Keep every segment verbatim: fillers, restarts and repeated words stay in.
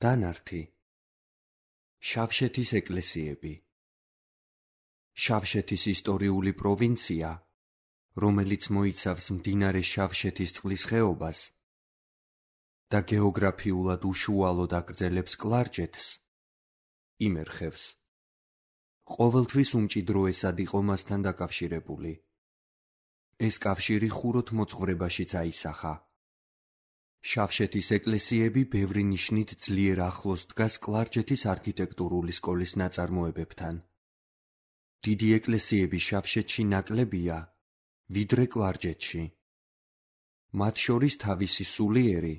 დანართი. შავშეთის ეკლესიები. შავშეთის ისტორიული პროვინცია, რომელიც მოიცავს მდინარე შავშეთის წყლის ხეობას და გეოგრაფიულად უშუალოდ აგრძელებს კლარჯეთს, იმერხევს. ყოველთვის უმჭიდროესად იყო მასთან დაკავშირებული. ეს კავშირი ხუროთ მოძღვრებაშიც აისახა. შავშეთის ეკლესიები ბევრი ნიშნით ძლიერ ახლოს დგას კლარჯეთის არქიტექტურული სკოლის ნაწარმოებებთან. დიდი ეკლესიები შავშეთში ნაკლებია, ვიდრე კლარჯეთში. მათ შორის თავისი სულიერი,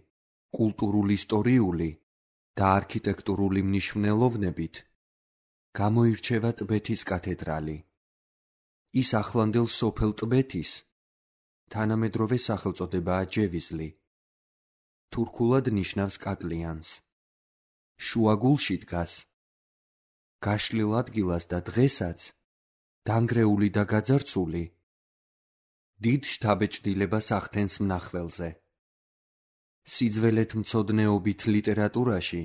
კულტურულ-ისტორიული და არქიტექტურული მნიშვნელოვნებით გამოირჩევა ტბეთის კათედრალი. ის ახლანდელ სოფელ ტბეთის თანამედროვე სახელწოდებაა ჯევიზლი. თურქულად ნიშნავს კაკლიანს. შუაგულში დგას. გაშლილ ადგილას და დღესაც დანგრეული და გაძარცული დიდ შთაბეჭდილებას ახდენს მნახველზე. სიძველეთმცოდნეობით ლიტერატურაში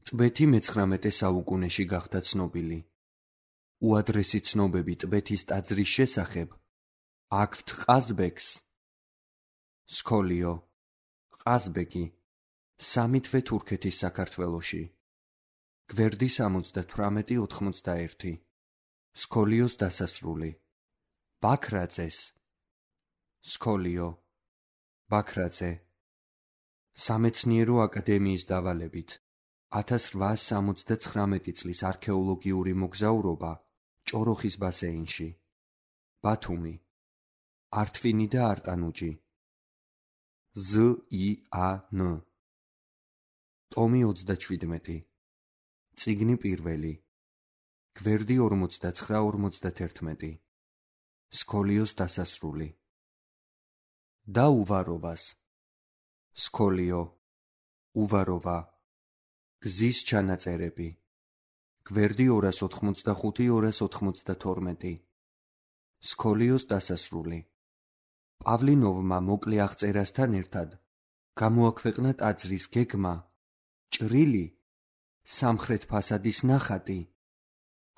ტბეთი მეცხრამეტე საუკუნეში გახდა ცნობილი. უადრესი ცნობები ტბეთის ტაძრის შესახებ აქვთ ყაზბეგს. სქოლიო, ყაზბეგი, სამი თვე თურქეთის საქართველოში. გვერდი სამოცდათვრამეტი ოთხმოცდაერთი. სქოლიოს დასასრული. ბაქრაძეს. სქოლიო, ბაქრაძე. სამეცნიერო აკადემიის დავალებით ათას რვაას სამოცდაცხრამეტი წლის არქეოლოგიური მოგზაურობა ჭოროხის ბასეინში. ბათუმი. ართვინი და არტანუჯი. ზ ი ა ნ. ტომი ოცდაჩვიდმეტი. წიგნი პირველი. გვერდი ორმოცდაცხრა ორმოცდათერთმეტი. სქოლიოს დასასრული. და უვაროვას. სქოლიო, უვაროვა. გზის ჩანაწერები. გვერდი ორას ოთხმოცდახუთი ორას ოთხმოცდათორმეტი. სქოლიოს დასასრული. პავლინოვმა მოკლე აღწერასთან ერთად გამოაქვეყნა ტაძრის გეგმა, ჭრილი, სამხრეთ ფასადის ნახატი,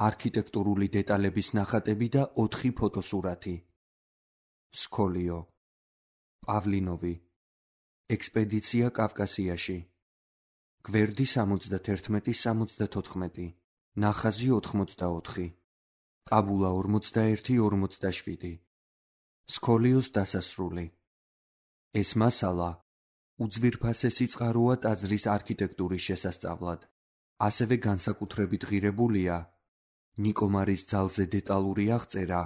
არქიტექტურული დეტალების ნახატები და ოთხი ფოტოსურათი. სქოლიო, პავლინოვი. ექსპედიცია კავკასიაში. გვერდი სამოცდათერთმეტი სამოცდათოთხმეტი. ნახაზი ოთხმოცდაოთხი. ტაბულა ორმოცდაერთი ორმოცდაშვიდი. სქოლიოს დასასრული. ეს მასალა უძვირფასესი წყაროა ტაძრის არქიტექტურის შესასწავლად. ასევე განსაკუთრებით ღირებულია ნიკომარის ძალზე დეტალური აღწერა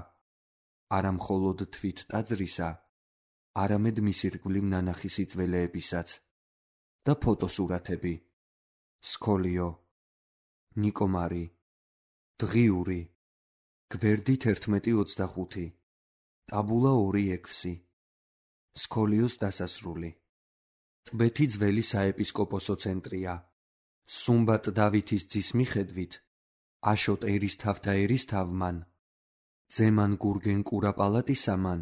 არა მხოლოდ თვით ტაძრისა, არამედ მის ირგვლივ ნანახი სიძველეებისაც და ფოტოსურათები. სქოლიო, ნიკომარი. დღიური. გვერდით ერთმეტი ოცდახუთი. ტაბულა ორი ექვსი. სქოლიოს დასასრული. ტბეთი ძველი საეპისკოპოსო ცენტრია. სუმბატ დავითის ძის მიხედვით აშოტ ერისთავთა ერისთავმან, ძემან გურგენ კურაპალატისამან,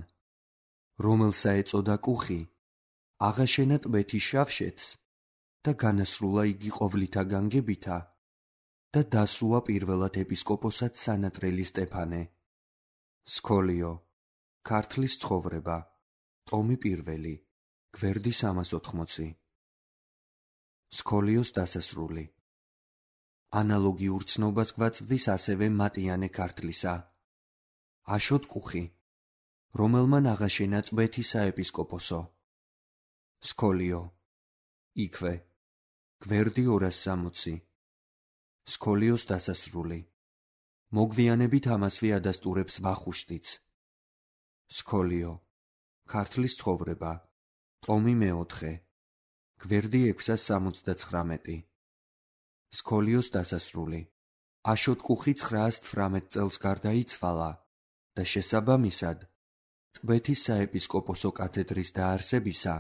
რომელსა ეწოდა კუხი, აღაშენა ტბეთის შავშეთს და განასრულა იგი ყოვლითა განგებითა და დასუა პირველად ეპისკოპოსად სანატრელი სტეფანე. სქოლიო, ქართლის ცხოვრება. ტომი პირველი. გვერდი სამას ოთხმოცი. სქოლიოს დასასრული. ანალოგიურ ცნობას გვაწვდის ასევე მატიანე ქართლისა. აშოტ კუხი, რომელმან აღაშენა ტბეთის საეპისკოპოსო. სქოლიო, იქვე. გვერდი ორას სამოცი. სქოლიოს დასასრული. მოგვიანებით ამასვე ადასტურებს ვახუშტიც. სქოლიო, ქართლის ცხოვრება. ტომი მეოთხე. გვერდი ექვსას სამოცდაცხრამეტი. სქოლიოს დასასრული. აშოტ კუხი ცხრაას თვრამეტ წელს გარდაიცვალა და შესაბამისად ტბეთის საეპისკოპოსო კათედრის დაარსებისა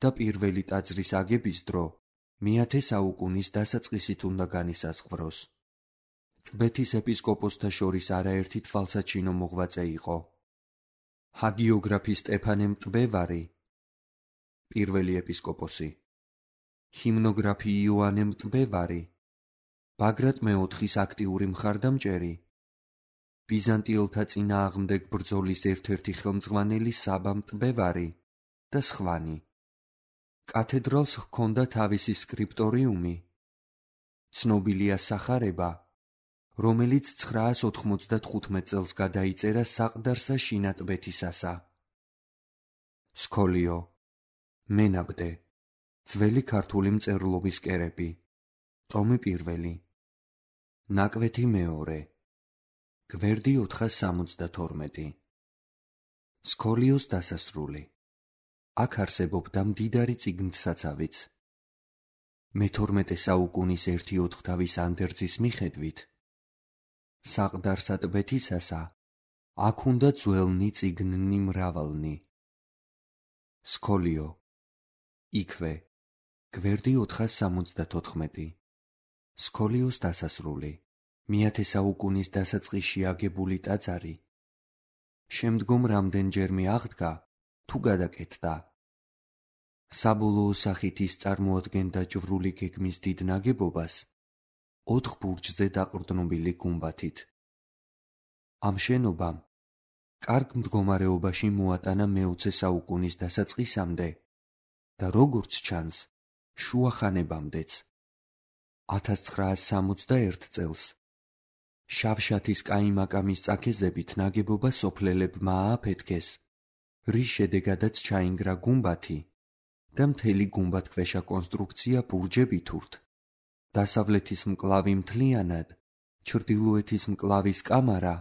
და პირველი ტაძრის აგების დრო მეათე საუკუნის დასაწყისით უნდა განისაზღვროს. ტბეთის ეპისკოპოსთა შორის არაერთი თვალსაჩინო მოღვაწე იყო. ჰაგიოგრაფი სტეფანე მტბევარი, პირველი ეპისკოპოსი. ჰიმნოგრაფი იოანე მტბევარი, ბაგრატ მეოთხის აქტიური მხარდამჭერი, ბიზანტიელთა წინააღმდეგ ბრძოლის ერთ-ერთი ხელმძღვანელი საბა მტბევარი და სხვანი. კათედრალს ჰქონდა თავისი სკრიპტორიუმი. ცნობილია სახარება, რომელიც ცხრაას ოთხმოცდათხუთმეტ წელს გადაიწერა საყდარსა შინატბეთისასა. სქოლიო, მენაბდე, ძველი ქართული მწერლობის კერები, ტომი პირველი, ნაკვეთი მეორე, გვერდი ოთხას სამოცდათორმეტი. სქოლიოს დასასრული. აქ არსებობდა მდიდარი წიგნთსაცავიც. მეთორმეტე საუკუნის ერთი ოთხთავის ანდერძის მიხედვით, საყდარსა ტბეთისასა აქ უნდა ძველნი წიგნნი მრავალნი. სქოლიო, იქვე, გვერდი ოთხას სამოცდათოთხმეტი. სქოლიოს დასასრული. მეათე საუკუნის დასაწყისში აგებული ტაძარი. შემდგომ რამდენჯერმე აღდგა თუ გადაკეთდა. საბოლოო სახით ის წარმოადგენდა ჯვრული გეგმის დიდ ნაგებობას, ოთხ ბურჯზე დაყრდნობილი გუმბათით. ამ შენობამ კარგ მდგომარეობაში მოატანა მეოცე საუკუნის დასაწყისამდე და როგორც ჩანს, შუა ხანებამდეც. ათას ცხრაას სამოცდაერთ წელს შავშათის კაიმაკამის წაქეზებით ნაგებობა სოფლელებმა ააფეთქეს, რის შედეგადაც ჩაინგრა გუმბათი და მთელი გუმბათქვეშა კონსტრუქცია ბურჯებით ურთ. დასავლეთის მკლავი მთლიანად, ჩრდილოეთის მკლავის კამარა,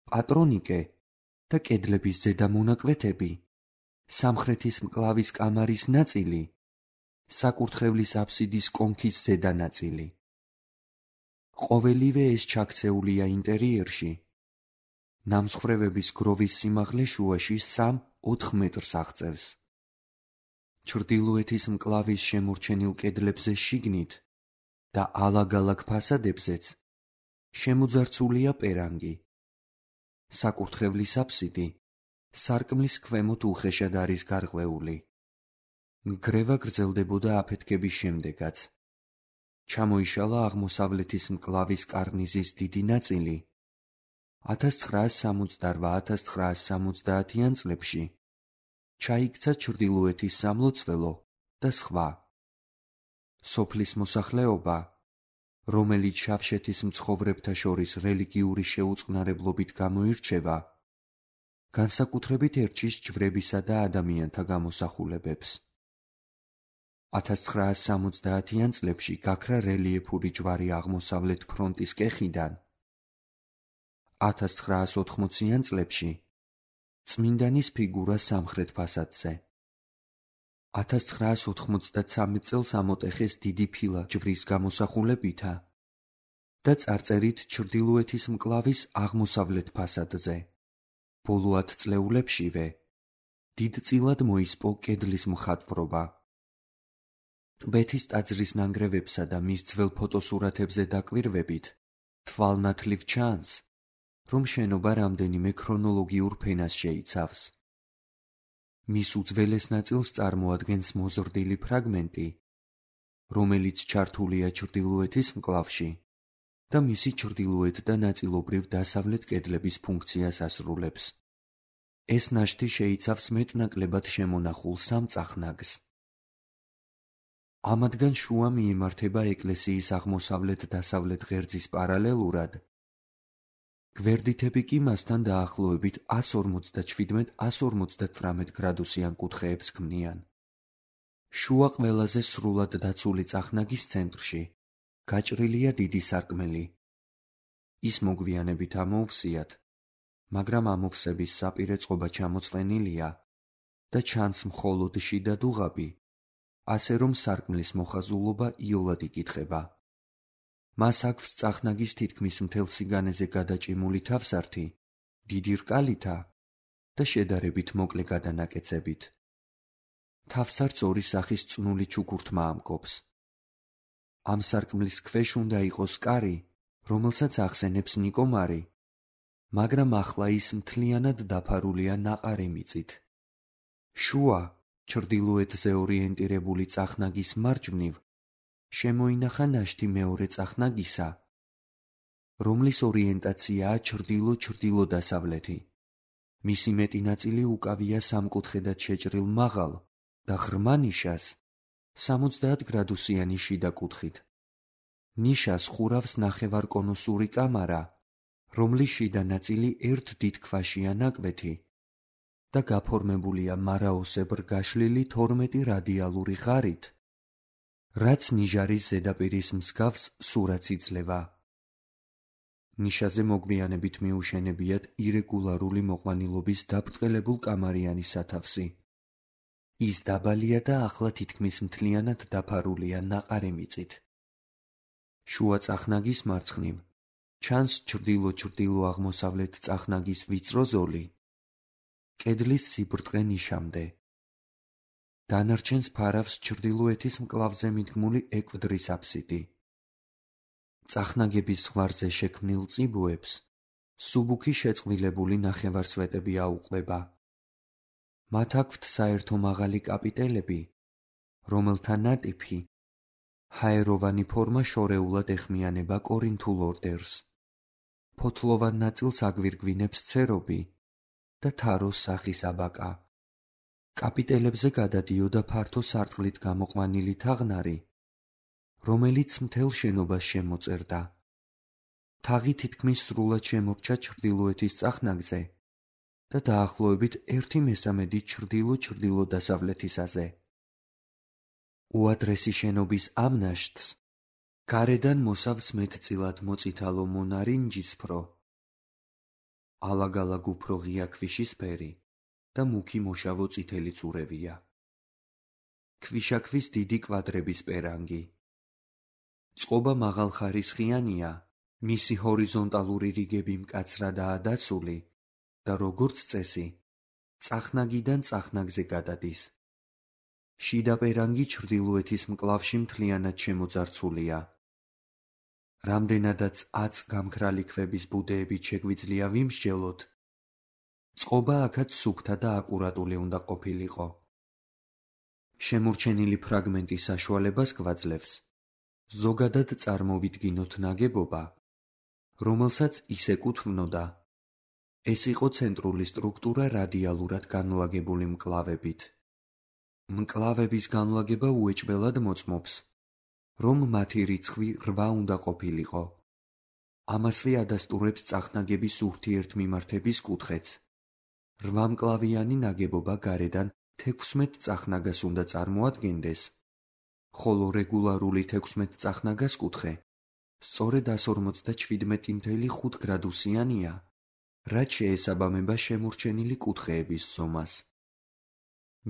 პატრონიკე და კედლების ზედა მონაკვეთები, სამხრეთის მკლავის კამარის ნაწილი, საკურთხევლის აფსიდის კონქის ზედა ნაწილი. ყოველივე ეს ჩაქცეულია ინტერიერში. ნამსხვრევების გროვის სიმაღლე შუაში სამ-ოთხ მეტრს აღწევს. ჩრდილოეთის მკლავის შემორჩენილ კედლებზე შიგნით და ალაგ-ალაგ ფასადებზეც შემოძარცულია პერანგი. საკურთხევლის აფსიდი სარკმლის ქვემოთ უხეშად არის გარღვეული. ნგრევა გრძელდებოდა აფეთქების შემდეგაც. ჩამოიშალა აღმოსავლეთის მკლავის კარნიზის დიდი ნაწილი. ათას ცხრაას სამოცდარვა - ათას ცხრაას სამოცდაათიან წლებში ჩაიქცა ჩრდილოეთის სამლოცველო და სხვა. სოფლის მოსახლეობა, რომელიც შავშეთის მცხოვრებთა შორის რელიგიური შეუწყნარებლობით გამოირჩევა, განსაკუთრებით ერჩის ჯვრებისა და ადამიანთა გამოსახულებებს. ათას ცხრაას სამოცდაათიან წლებში გაქრა რელიეფური ჯვარი აღმოსავლეთ ფრონტის კეხიდან. ათას ცხრაას ოთხმოციან წლებში წმინდანის ფიგურა სამხრეთ ფასადზე. ათას ცხრაას ოთხმოცდაცამეტ წელს ამოტეხეს დიდი ფილა ჯვრის გამოსახულებითა და წარწერით ჩრდილოეთის მკლავის აღმოსავლეთ ფასადზე. ბოლო ათწლეულებშივე დიდწილად მოისპო კედლის მხატვრობა. ტბეთის ტაძრის ნანგრევებსა და მის ძველ ფოტოსურათებზე დაკვირვებით თვალნათლივ ჩანს, რომ შენობა რამდენიმე ქრონოლოგიურ ფენას შეიცავს. მის უძველეს ნაწილს წარმოადგენს მოზრდილი ფრაგმენტი, რომელიც ჩართულია ჩრდილოეთის მკლავში და მისი ჩრდილოეთ და ნაწილობრივ დასავლეთ კედლების ფუნქციას ასრულებს. ეს ნაშთი შეიცავს მეტნაკლებად შემონახულ სამ წახნაგს. ამათგან შუა მიემართება ეკლესიის აღმოსავლეთ-დასავლეთ ღერძის პარალელურად. გვერდითები კი მასთან დაახლოებით ას ორმოცდაჩვიდმეტ - ას ორმოცდათვრამეტ გრადუსიან კუთხეებს ქმნიან. შუა ყველაზე სრულად დაცული წახნაგის ცენტრში გაჭრილია დიდი სარკმელი. ის მოგვიანებით ამოუვსიათ, მაგრამ ამოვსების საპირე წყობა ჩამოწვენილია და ჩანს მხოლოდ შიდა დუღაბი, ასე რომ სარკმლის მოხაზულობა იოლად იკითხება. მას აქვს წახნაგის თითქმის მთელ სიგანეზე გადაჭიმული თავსართი, დიდი რკალითა და შედარებით მოკლე გადანაკეცებით. თავსართს ორი სახის წნული ჩუქურთმა ამკობს. ამ სარკმლის ქვეშ უნდა იყოს კარი, რომელსაც ახსენებს ნიკომარი, მაგრამ ახლა ის მთლიანად დაფარულია ნაყარი მიწით. შუა, ჩრდილოეთზე ორიენტირებული წახნაგის მარჯვნივ შემოინახა ნაშთი მეორე წახნაგისა, რომლის ორიენტაციაა ჩრდილო-ჩრდილო-დასავლეთი. მისი მეტი ნაწილი უკავია სამკუთხედად შეჭრილ მაღალ და ღრმა ნიშას სამოცდაათ გრადუსიანი შიდა კუთხით. ნიშას ხურავს ნახევარკონუსური კამარა, რომლის შიდა ნაწილი ერთ დიდ ქვაშია ნაკვეთი და გაფორმებულია მარაოსებრ გაშლილი თორმეტი რადიალური ღარით, რაც ნიჟარის ზედაპირის მსგავს სურათს იძლევა. ნიშაზე მოგვიანებით მიუშენებიათ ირეგულარული მოყვანილობის დაბრტყელებულ კამარიანი სათავსი. ის დაბალია და ახლა თითქმის მთლიანად დაფარულია ნაყარი მიწით. შუა წახნაგის მარცხნივ ჩანს ჩრდილო-ჩრდილო-აღმოსავლეთ წახნაგის ვიწრო ზოლი, კედლის სიბრტყე ნიშამდე. დანარჩენს ფარავს ჩრდილოეთის მკლავზე მიდგმული ეკვდრის აფსიდი. წახნაგების ზღვარზე შექმნილ წიბოებს სუბუქი შეწყვილებული ნახევარსვეტები აუყვება. მათ აქვთ საერთო მაღალი კაპიტელები, რომელთა ნატიფი ჰაეროვანი ფორმა შორეულად ეხმიანება კორინთულ ორდერს. ფოთლოვან ნაწილს აგვირგვინებს ცერობი და თაროს სახის აბაკა. კაპიტელებზე გადადიოდა ფართო სარტყლით გამოყვანილი თაღნარი, რომელიც მთელ შენობას შემოწერდა. თაღი თითქმის სრულად შემორჩა ჩრდილოეთის წახნაგზე და დაახლოებით ერთი მესამედი ჩრდილო-ჩრდილო-დასავლეთისაზე. უადრესი შენობის ამ ნაშთს გარედან მოსავს მეტწილად მოწითალო მონარინჯისფრო, ალაგ-ალაგ უფრო ღია ქვიშისფერი და მუქი მოშავო წითელი წურებია. ქვიშაქვის დიდი კვადრების პერანგი. წყობა მაღალხარისხიანია, მისი ჰორიზონტალური რიგები მკაცრადაა დაცული და როგორც წესი, წახნაგიდან წახნაგზე გადადის. შიდა პერანგი ჩრდილოეთის მკლავში მთლიანად შემოძარცულია. რამდენადაც აწ გამქრალი ქვების ბუდეებით შეგვიძლია ვიმსჯელოთ, წყობა აქაც სუფთა და აკურატული უნდა ყოფილიყო. შემორჩენილი ფრაგმენტის საშუალებას გვაძლევს ზოგადად წარმოვიდგინოთ ნაგებობა, რომელსაც ის ეკუთვნოდა. ეს იყო ცენტრული სტრუქტურა რადიალურად განლაგებული მკლავებით. მკლავების განლაგება უეჭველად მოწმობს, რომ მათი რიცხვი რვა უნდა ყოფილიყო. ამასვე ადასტურებს წახნაგების ურთიერთმიმართების კუთხეც. რვამკლავიანი ნაგებობა გარედან თექვსმეტ წახნაგას უნდა წარმოადგენდეს, ხოლო რეგულარული თექვსმეტ წახნაგას კუთხე სწორედ ორმოცდაჩვიდმეტი გრადუსიანია, რაც შეესაბამება შემორჩენილი კუთხეების ზომას.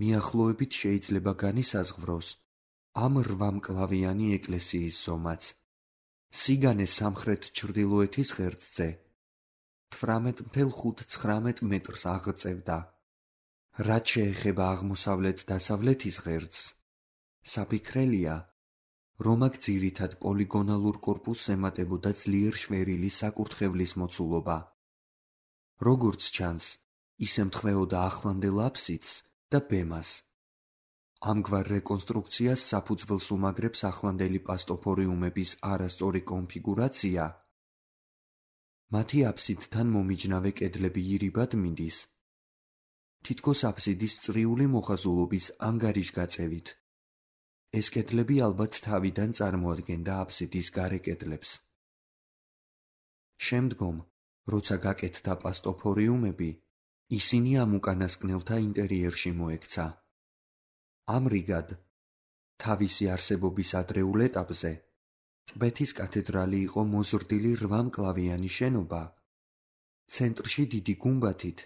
მიახლოებით შეიძლება განისაზღვროს ამ რვამკლავიანი ეკლესიის ზომაც. სიგანე სამხრეთ ჩრდილოეთის ღერძზე თვრამეტ ათეულ ხუთცხრამეტ მეტრს აღწევდა. რაც შეეხება აღმოსავლეთ-დასავლეთის ღერძს, საფიქრელია, რომ აქ ძირითად პოლიგონალურ კორპუსს ემატებოდა ძლიერ შვერილი საკურთხევლის მოცულობა. როგორც ჩანს, ის ემთხვეოდა ახლანდელ აფსიდს და ბემას. ამგვარ რეკონსტრუქციას საფუძველს უმაგრებს ახლანდელი პასტოფორიუმების არასწორი კონფიგურაცია. მათი აფსიდთან მომიჯნავე კედლები ირიბად მიდის. თითქოს აფსიდის წრიული მოხაზულობის ანგარიშგაწევით. ეს კედლები ალბათ თავიდან წარმოადგენდა აფსიდის გარე კედლებს. შემდგომ, როცა გაკეთდა პასტოფორიუმები, ისინი ამ უკანასკნელთა ინტერიერში მოექცა. ამრიგად, თავისი არსებობის ადრეულ ეტაპზე, ტბეთის კათედრალი იყო მოზრდილი რვამკლავიანი შენობა, ცენტრში დიდი გუმბათით,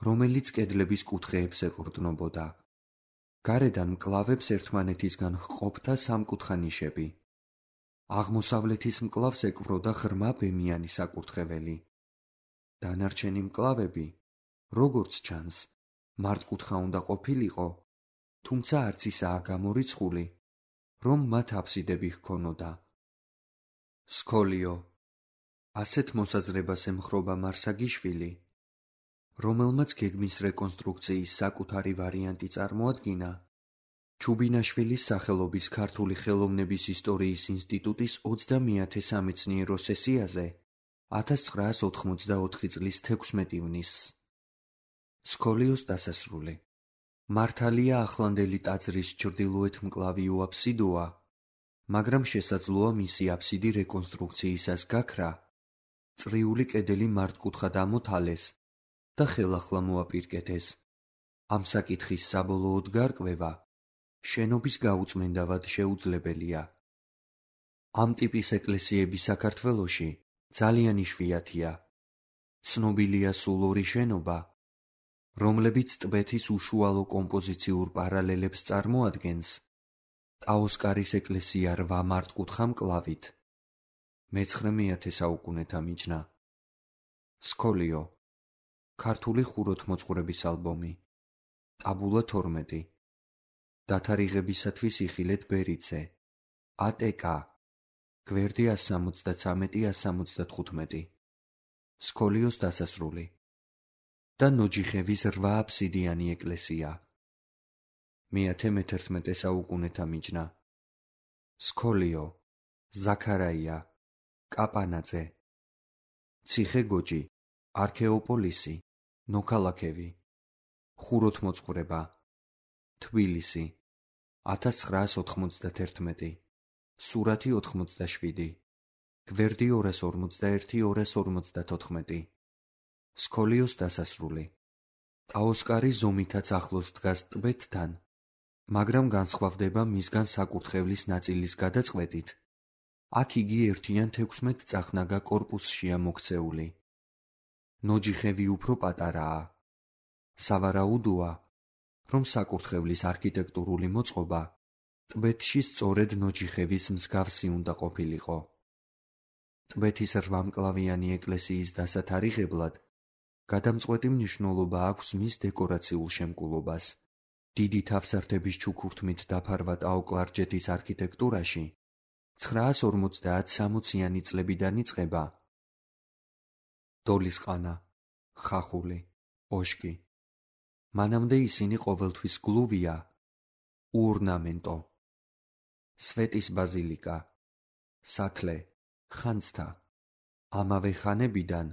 რომელიც კედლების კუთხეებს ეყრდნობოდა. გარედან მკლავებს ერთმანეთისგან ჰყოფდა სამკუთხა ნიშები. აღმოსავლეთის მკლავს ეკვროდა ღრმა ბემიანი საკურთხეველი. დანარჩენი მკლავები, როგორც ჩანს, მართკუთხა უნდა ყოფილიყო, თუმცა არც ისაა გამორიცხული, რომ მათ აფსიდები ჰქონოდა. სქოლიო. ასეთ მოსაზრებას ემხრობა მარსაგიშვილი, რომელმაც გეგმის რეკონსტრუქციის საკუთარი ვარიანტი წარმოადგინა ჩუბინაშვილის სახელობის ქართული ხელოვნების ისტორიის ინსტიტუტის ოცდამეათე სამეცნიერო სესიაზე ათას ცხრაას ოთხმოცდაოთხი წლის თექვსმეტი ივნისს. სკოლიოს დასასრული. მართალია ახლანდელი ტაძრის ჩრდილოეთ მკლავი უაბსიდოა, მაგრამ შესაძლოა მისი აბსიდი რეკონსტრუქციისას გაქრა, წრიული კედელი მართკუთხად ამოთალეს და ხელახლა მოაპირკეთეს. ამ საკითხის საბოლოოდ გარკვევა შენობის გაუწმენდავად შეუძლებელია. ამ ტიპის ეკლესიები საქართველოში ძალიან იშვიათია. ცნობილია სულ ორი შენობა, რომლებიც ტბეთის უშუალო კომპოზიციურ პარალელებს წარმოადგენს. ტაოსკარის ეკლესია რვა მართკუთხა მკლავით. მეცხრე საუკუნეთა მიჯნა. სკოლიო. ქართული ხუროთმოძღვრების ალბომი. ტაბულა თორმეტი. დათარიღებისათვის იხილეთ ბერიძე. ატკ. გვერდი ასს სამოცდაცამეტი ასს სამოცდათხუთმეტი. სკოლიოს დასასრული. და ნოჯიხევის რვა აბსიდიანი ეკლესია. მეათე მეთერთმეტე საუკუნეთა მიჯნა. სკოლიო. ზაქარაია. კაპანაძე. ციხე გოჯი. არქეოპოლისი. ნოქალაქევი. ხუროთმოძღვრება. თბილისი. ათას ცხრაას ოთხმოცდათერთმეტი. სურათი ოთხმოცდაშვიდი. გვერდი ორას ორმოცდაერთი ორას ორმოცდათოთხმეტი. სკოლიოს დასასრული. ტაოსკარი ზომითაც ახლოს დგას ტბეთთან, მაგრამ განსხვავდება მისგან საკურთხევლის ნაწილის გადაწყვეტით. აქ იგი ერთიან თექვსმეტ წახნაგა კორპუსშია მოქცეული. ნოჯიხევი უფრო პატარაა. სავარაუდოა, რომ საკურთხევლის არქიტექტურული მოწყობა ტბეთში სწორედ ნოჯიხევის მსგავსი უნდა ყოფილიყო. ტბეთის რვამკლავიანი ეკლესიის დასათარიღებლად გადამწყვეტი მნიშვნელობა აქვს მის დეკორაციულ შემკულობას. დიდი თავსართების ჩუქურთმით დაფარვა ტაო-კლარჯეთის არქიტექტურაში ცხრაას ორმოცდაათ სამოციანი წლებიდან იწყება. დოლისყანა, ხახული, ოშკი. მანამდე ისინი ყოველთვის გლუვია, უორნამენტო. სვეტის ბაზილიკა, სათლე, ხანძთა. ამავე ხანებიდან,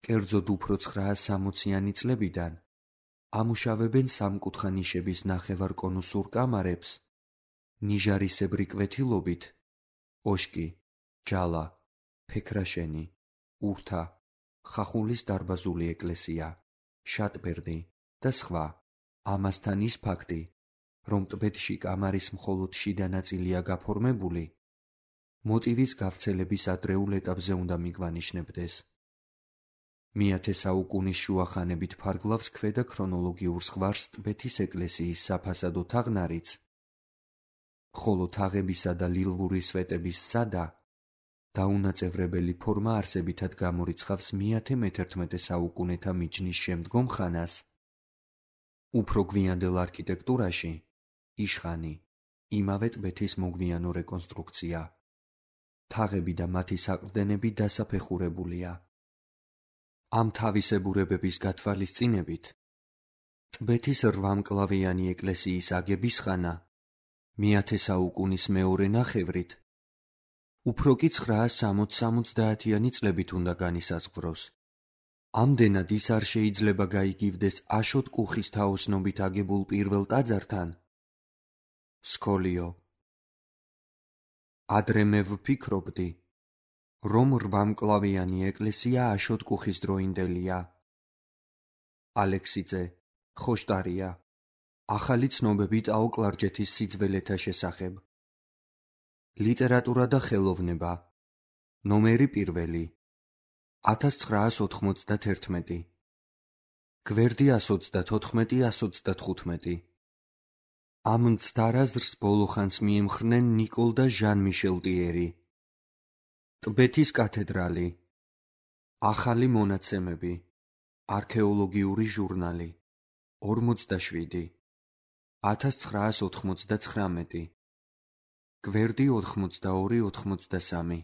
კერძოდ უფრო ცხრაას სამოციანი წლებიდან, ამუშავებენ სამკუთხა ნიშების ნახევარკონუსურ კამარებს, ნიჟარისებრი კვეთილობით, ოშკი, ჯალა, ფექრაშენი, ურთა, ხახულის დარბაზული ეკლესია, შატბერდი და სხვა. ამასთან ის ფაქტი, რომ ტბეთში კამარის მხოლოდ შიდა ნაწილია გაფორმებული, მოტივის გავრცელების ადრეულ ეტაპზე უნდა მიგვანიშნებდეს. მეათე საუკუნის შუახანებით ფარგლავს ქვედა ქრონოლოგიურ ზღვარს ტბეთის ეკლესიის საფასადო თაღნარიც, ხოლო თაღებისა და ლილვური სვეტების სადა, დაუნაწევრებელი ფორმა არსებითად გამორიცხავს მეათე მეთერთმეტე საუკუნეთა მიჯნის შემდგომ ხანას. უფრო გვიანდელ არქიტექტურაში იშხანი, იმავე ტბეთის მოგვიანო რეკონსტრუქცია. თაღები და მათი საყრდენები დასაფეხურებულია. ამ თავისებურებების გათვალისწინებით, ტბეთის რვამკლავიანი ეკლესიის აგების ხანა მეათე საუკუნის მეორე ნახევრით, უფრო კი ცხრაას სამოც-სამოცდაათიანი წლებით უნდა განისაზღვროს. ამდენად ის არ შეიძლება გაიგივდეს აშოტ კუხის თაოსნობით აგებულ პირველ ტაძართან. სკოლიო. ადრე მე ვფიქრობდი, რომ რვამკლავიანი ეკლესია აშოტ კუხის დროინდელია. ალექსიძე, ხოშტარია. ახალი ცნობები ტაო-კლარჯეთის სიძველეთა შესახებ. ლიტერატურა და ხელოვნება. ნომერი პირველი. ათას ცხრაას ოთხმოცდათერთმეტი. გვერდი ასს ოცდათოთხმეტი ასს ოცდათხუთმეტი. ამ მცდარ აზრს ბოლოხანს მიემხრნენ ნიკოლ და ჟან მიშელ ტიერი. ტბეთის კათედრალი. ახალი მონაცემები. არქეოლოგიური ჟურნალი. ორმოცდაშვიდი. ათას ცხრაას ოთხმოცდაცხრამეტი. გვერდი ოთხმოცდაორი ოთხმოცდასამი.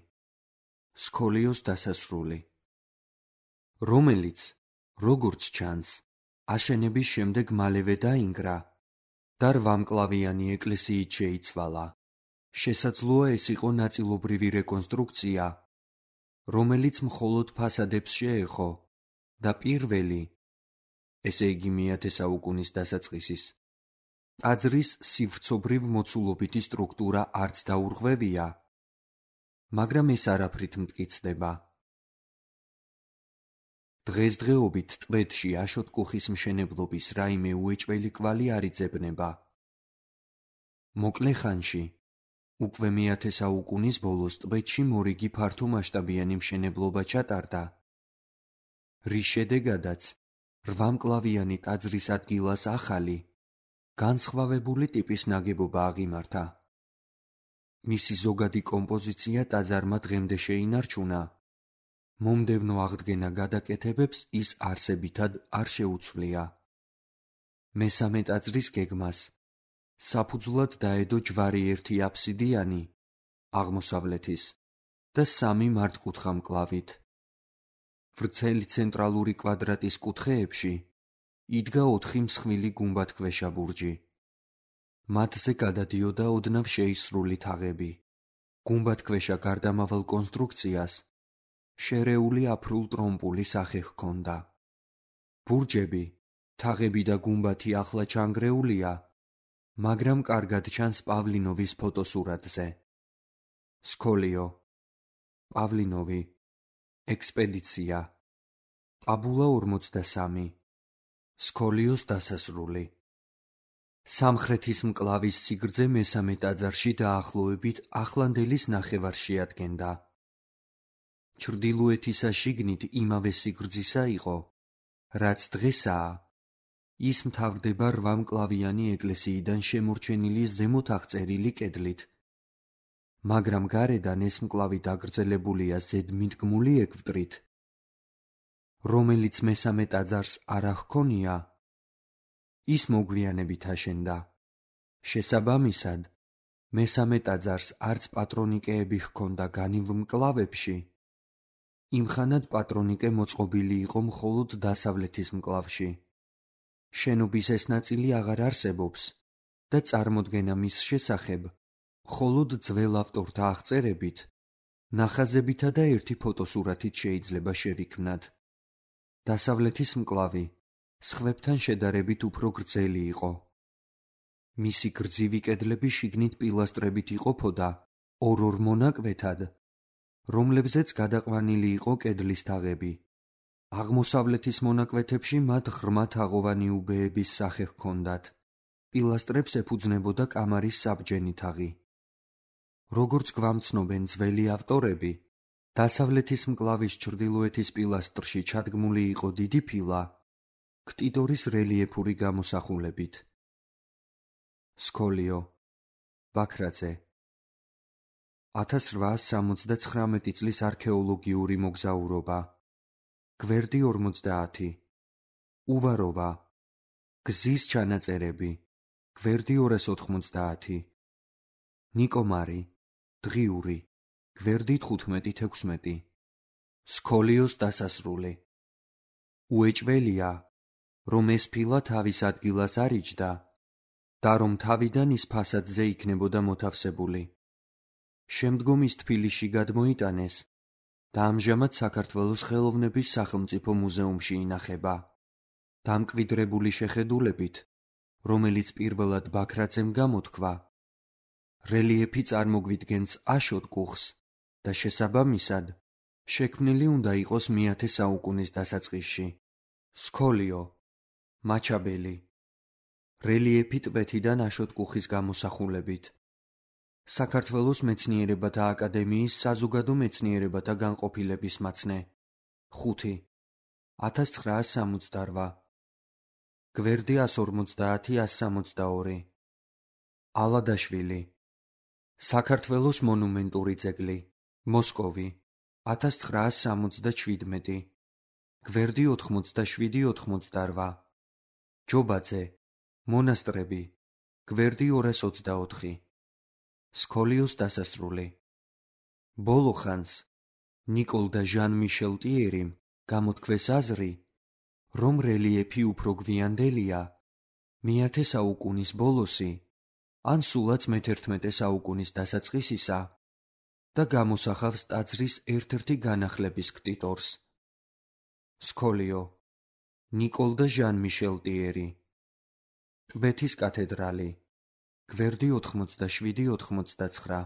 სკოლიოს დასასრული. რომელიც, როგორც ჩანს, აშენების შემდეგ მალევე დაინგრა და რვამკლავიანი ეკლესიით შეიცვალა. შესაძლოა ეს იყო ნაწილობრივი რეკონსტრუქცია, რომელიც მხოლოდ ფასადებს შეეხო და პირველი, ესე იგი მეათე საუკუნის დასაწყისის, ტაძრის სივრცობრივ მოცულობითი სტრუქტურა არც დაურღვევია, მაგრამ ეს არაფრით მტკიცდება. დღესდღეობით ტბეთში აშოტკუხის მშენებლობის რაიმე უეჭველი კვალი არ იძებნება. მოკლე ხანში, უკვე მეათე საუკუნის ბოლოს ტბეთში მორიგი ფართომასშტაბიანი მშენებლობა ჩატარდა, რის შედეგადაც რვამკლავიანი ტაძრის ადგილას ახალი, განსხვავებული ტიპის ნაგებობა აღიმართა. მისი ზოგადი კომპოზიცია ტაძარმა დღემდე შეინარჩუნა, მომდევნო აღდგენა გადაკეთებებს ის არსებითად არ შეუცვლია. მესამე ტაძრის გეგმას საფუძვლად დაედო ჯვარი ერთი აფსიდიანი, აღმოსავლეთის და სამი მართკუთხა მკლავით. ვრცელი ცენტრალური კვადრატის კუთხეებში იდგა ოთხი მსხვილი გუმბათქვეშა ბურჯი. მათზე გადადიოდა ოდნავ შეისრული თაღები. გუმბათქვეშა გარდამავალ კონსტრუქციას შერეული აფრულ-ტრომპული სახე ჰქონდა. ბურჯები, თაღები და გუმბათი ახლა ჩანგრეულია, მაგრამ კარგად ჩანს პავლინოვის ფოტოსურათზე. სკოლიო, პავლინოვი, ექსპედიცია, ტაბულა ორმოცდასამი, სკოლიოს დასასრული. სამხრეთის მკლავის სიგრძე მესამე ტაძარში დაახლოებით ახლანდელის ნახევარს შეადგენდა. ჩრდილოეთისა შიგნით იმავე სიგრძისა იყო, რაც დღესაა, ის მთავრდება რვამკლავიანი ეკლესიიდან შემორჩენილი ზემოთ აღწერილი კედლით, მაგრამ გარედან ეს მკლავი დაგრძელებულია ზედმიდგმული ეკვდრით, რომელიც მესამე ტაძარს არ ჰქონია, ის მოგვიანებით აშენდა. შესაბამისად, მესამე ტაძარს არც პატრონიკეები ჰქონდა განივ მკლავებში, იმხანად პატრონიკე მოწყობილი იყო მხოლოდ დასავლეთის მკლავში. შენობის ეს ნაწილი აღარ არსებობს და წარმოდგენა მის შესახებ მხოლოდ ძველ ავტორთა აღწერებით, ნახაზებითა და ერთი ფოტოსურათით შეიძლება შევიქმნათ. დასავლეთის მკლავი სხვებთან შედარებით უფრო გრძელი იყო. მისი გრძივი კედლები შიგნით პილასტრებით იყოფოდა ორ-ორ მონაკვეთად, რომლებზეც გადაყვანილი იყო კედლის თაღები. აღმოსავლეთის მონაკვეთებში მათ ღრმა თაღოვანი უბეების სახე ჰქონდათ. პილასტრებს ეფუძნებოდა კამარის საბჯენი თაღი. როგორც გვამცნობენ ძველი ავტორები, დასავლეთის მკლავის ჩრდილოეთის პილასტრში ჩადგმული იყო დიდი ფილა, ქტიტორის რელიეფური გამოსახულებით. სკოლიო, ბაქრაძე. ათას რვაას სამოცდაცხრამეტი წლის არქეოლოგიური მოგზაურობა. გვერდი ორმოცდაათი. უვაროვა. გზის ჩანაწერები. გვერდი ორას ოთხმოცდაათი. ნიკომარი. დღიური. გვერდი თხუთმეტი თექვსმეტი. სკოლიოს დასასრული. უეჭველია, რომ ეს ფილა თავის ადგილას არ იჯდა და რომ თავიდან ის ფასადზე იქნებოდა მოთავსებული. შემდგომ ის თბილისში გადმოიტანეს და ამჟამად საქართველოს ხელოვნების სახელმწიფო მუზეუმში ინახება. დამკვიდრებული შეხედულებით, რომელიც პირველად ბაქრაძემ გამოთქვა, რელიეფი წარმოგვიდგენს აშოტკუხს და შესაბამისად შექმნილი უნდა იყოს მეათე საუკუნის დასაწყისში. სკოლიო, მაჩაბელი. რელიეფი ტბეთიდან აშოტკუხის გამოსახულებით. საქართველოს მეცნიერებათა აკადემიის საზოგადო მეცნიერებათა განყოფილების მაცნე. ხუთი. ათას ცხრაას სამოცდარვა. გვერდი ას ორმოცდაათი ას სამოცდაორი. ალადაშვილი. საქართველოს მონუმენტური ძეგლი. მოსკოვი. ათას ცხრაას სამოცდაჩვიდმეტი. გვერდი ოთხმოცდაშვიდი ოთხმოცდარვა. ჯობაძე. მონასტრები. გვერდი ორას ოცდაოთხი. სკოლიოს დასასრული. ბოლო ხანს ნიკოლ და ჟან მიშელ ტიერიმ გამოთქვეს აზრი, რომ რელიეფი უფრო გვიანდელია, მეათე საუკუნის ბოლოსი, ან სულაც მეთერთმეტე საუკუნის დასაწყისისა და გამოსახავს ტაძრის ერთ-ერთი განახლების ქტიტორს. სკოლიო, ნიკოლ და ჟან მიშელ ტიერი. ტბეთის კათედრალი, გვერდი ოთხმოცდაშვიდი ოთხმოცდაცხრა.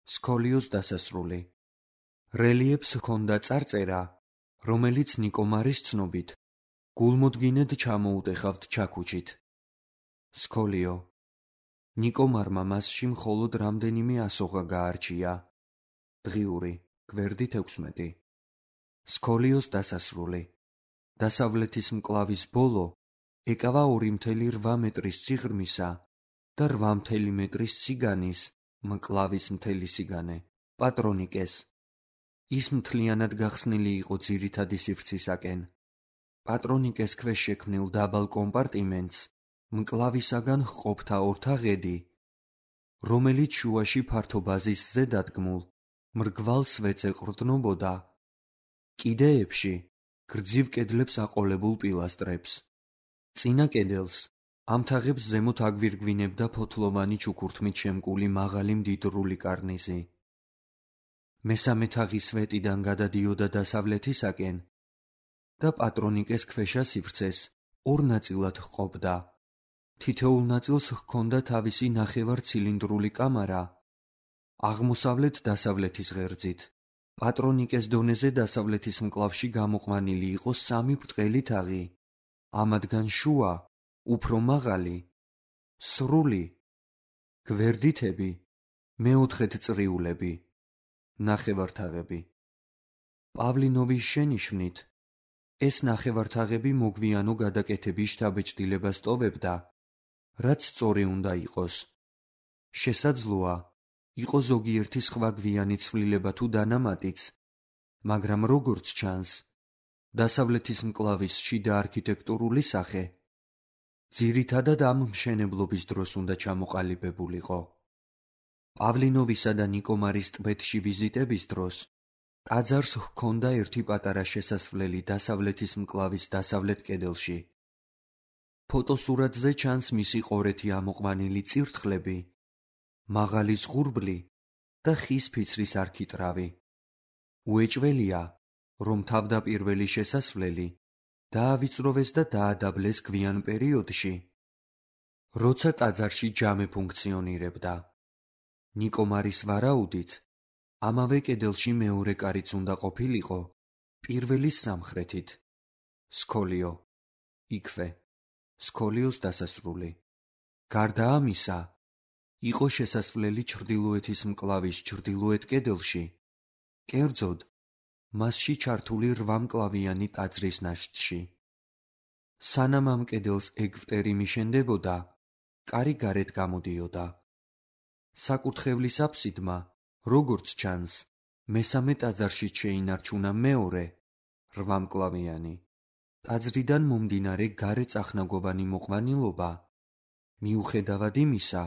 სკოლიოს დასასრული. რელიეფს ჰქონდა წარწერა, რომელიც ნიკომარის ცნობით გულმოდგინედ ჩამოუტეხავთ ჩაქუჩით. სკოლიო, ნიკომარმა მასში მხოლოდ რამდენიმე ასოღა გაარჩია. დღიური, გვერდით ექვსმეტი. სკოლიოს დასასრული. დასავლეთის მკლავის ბოლო ეკავა ორი მთელი რვა მეტრის სიღრმისა და რვა მთელი მეტრის სიგანის მკლავის მთელი სიგანე, პატრონიკეს. ის მთლიანად გახსნილი იყო ძირითადი სივრცისაკენ. პატრონიკეს ქვეშ შექმნილ დაბალ კომპარტიმენტს მკლავისაგან ჰყოფდა ორთაღედი, რომელიც შუაში ფართო ბაზისზე დადგმულ მრგვალ სვეტს ეყრდნობოდა. კიდეებში გრძივ კედლებს აყოლებულ პილასტრებს. წინა კედელს ამ თაღებს ზემოთ აგვირგვინებდა ფოთლოვანი ჩუქურთმით შემკული მაღალი მდიდრული კარნიზი. მესამე თაღი სვეტიდან გადადიოდა დასავლეთისაკენ და პატრონიკეს ქვეშა სივრცეს ორ ნაწილად ჰყოფდა. თითოეულ ნაწილს ჰქონდა თავისი ნახევარ ცილინდრული კამარა აღმოსავლეთ დასავლეთის ღერძით. პატრონიკეს დონეზე დასავლეთის მკლავში გამოყვანილი იყო სამი ბრტყელი თაღი, ამათგან შუა, უფრო მაღალი, სრული, გვერდითები, მეოთხედ წრიულები, ნახევართაღები. პავლინოვის შენიშვნით, ეს ნახევართაღები მოგვიანო გადაკეთების შთაბეჭდილებას ტოვებდა, რაც სწორი უნდა იყოს. შესაძლოა, იყო ზოგიერთი სხვა გვიანი ცვლილება თუ დანამატიც, მაგრამ როგორც ჩანს, დასავლეთის მკლავის შიდა არქიტექტურული სახე ძირითადად ამ მშენებლობის დროს უნდა ჩამოყალიბებულიყო. პავლინოვისა და ნიკომარის ტბეთში ვიზიტების დროს ტაძარს ჰქონდა ერთი პატარა შესასვლელი დასავლეთის მკლავის დასავლეთ კედელში. ფოტოსურათზე ჩანს მისი ყორეთი ამოყვანილი წირთხლები, მაღალი ზღურბლი და ხის ფიცრის არქიტრავი. უეჭველია, რომ თავდაპირველი შესასვლელი დაავიწროვეს და დაადაბლეს გვიან პერიოდში, როცა ტაძარში ჯამე ფუნქციონირებდა. ნიკომარის ვარაუდით, ამავე კედელში მეორე კარიც უნდა ყოფილიყო პირველის სამხრეთით. სკოლიო, იქვე, სკოლიოს დასასრული. გარდა ამისა, იყო შესასვლელი ჩრდილოეთის მკლავის ჩრდილოეთ კედელში, კერძოდ, მასში ჩართული რვამკლავიანი ტაძრის ნაშთში. სანამ ამ კედელს ეგვტერი მიშენდებოდა, კარი გარეთ გამოდიოდა. საკურთხევლის აფსიდმა, როგორც ჩანს, მესამე ტაძარში შეინარჩუნა მეორე, რვამკლავიანი, ტაძრიდან მომდინარე გარე წახნაგოვანი მოყვანილობა, მიუხედავად იმისა,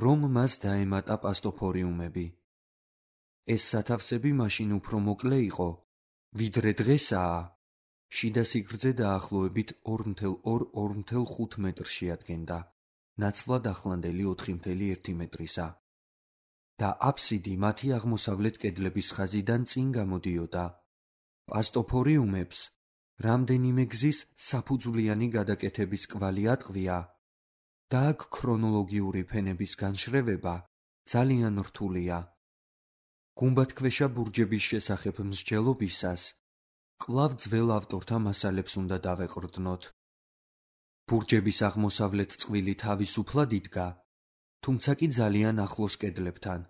რომ მას დაემატა პასტოფორიუმები. ეს სათავსები მაშინ უფრო მოკლე იყო, ვიდრე დღესაა. შიდა სიგრძე დაახლოებით ორ ორმოცდაორი ორ ორმოცდახუთ მეტრს შეადგენდა, ნაცვლად ახლანდელი ოთხი ორმოცდაერთი ერთი მეტრისა. და აფსიდი მათი აღმოსავლეთ კედლების ხაზიდან წინ გამოდიოდა. პასტოფორიუმებს რამდენიმე გზის საფუძვლიანი გადაკეთების კვალი ატყვია და აქ ქრონოლოგიური ფენების განშრევება ძალიან რთულია. გუმბათქვეშა ბურჯების შესახებ მსჯელობისას კვლავ ძველ ავტორთა მასალებს უნდა დავეყრდნოთ. ბურჯების აღმოსავლეთ წყვილი თავისუფლად იდგა, თუმცა კი ძალიან ახლოს კედლებთან.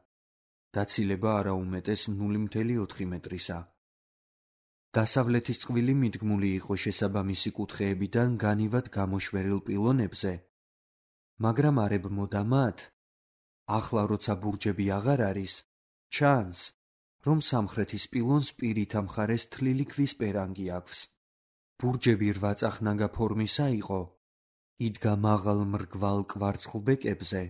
დაცილება არაუმეტეს ნული ორმოცდაოთხ მეტრისა. დასავლეთის წყვილი მიდგმული იყო შესაბამისი კუთხეებიდან განივად გამოშვერილ პილონებზე, მაგრამ არ ებმოდა მათ. ახლა როცა ბურჯები აღარ არის, ჩანს, რომ სამხრეთის პილონს პირით ამხარეს თლილი ქვის პერანგი აქვს. ბურჯები რვაწახნაგა ფორმისა იყო, იდგა მაღალ მრგვალ კვარცხლბეკებზე,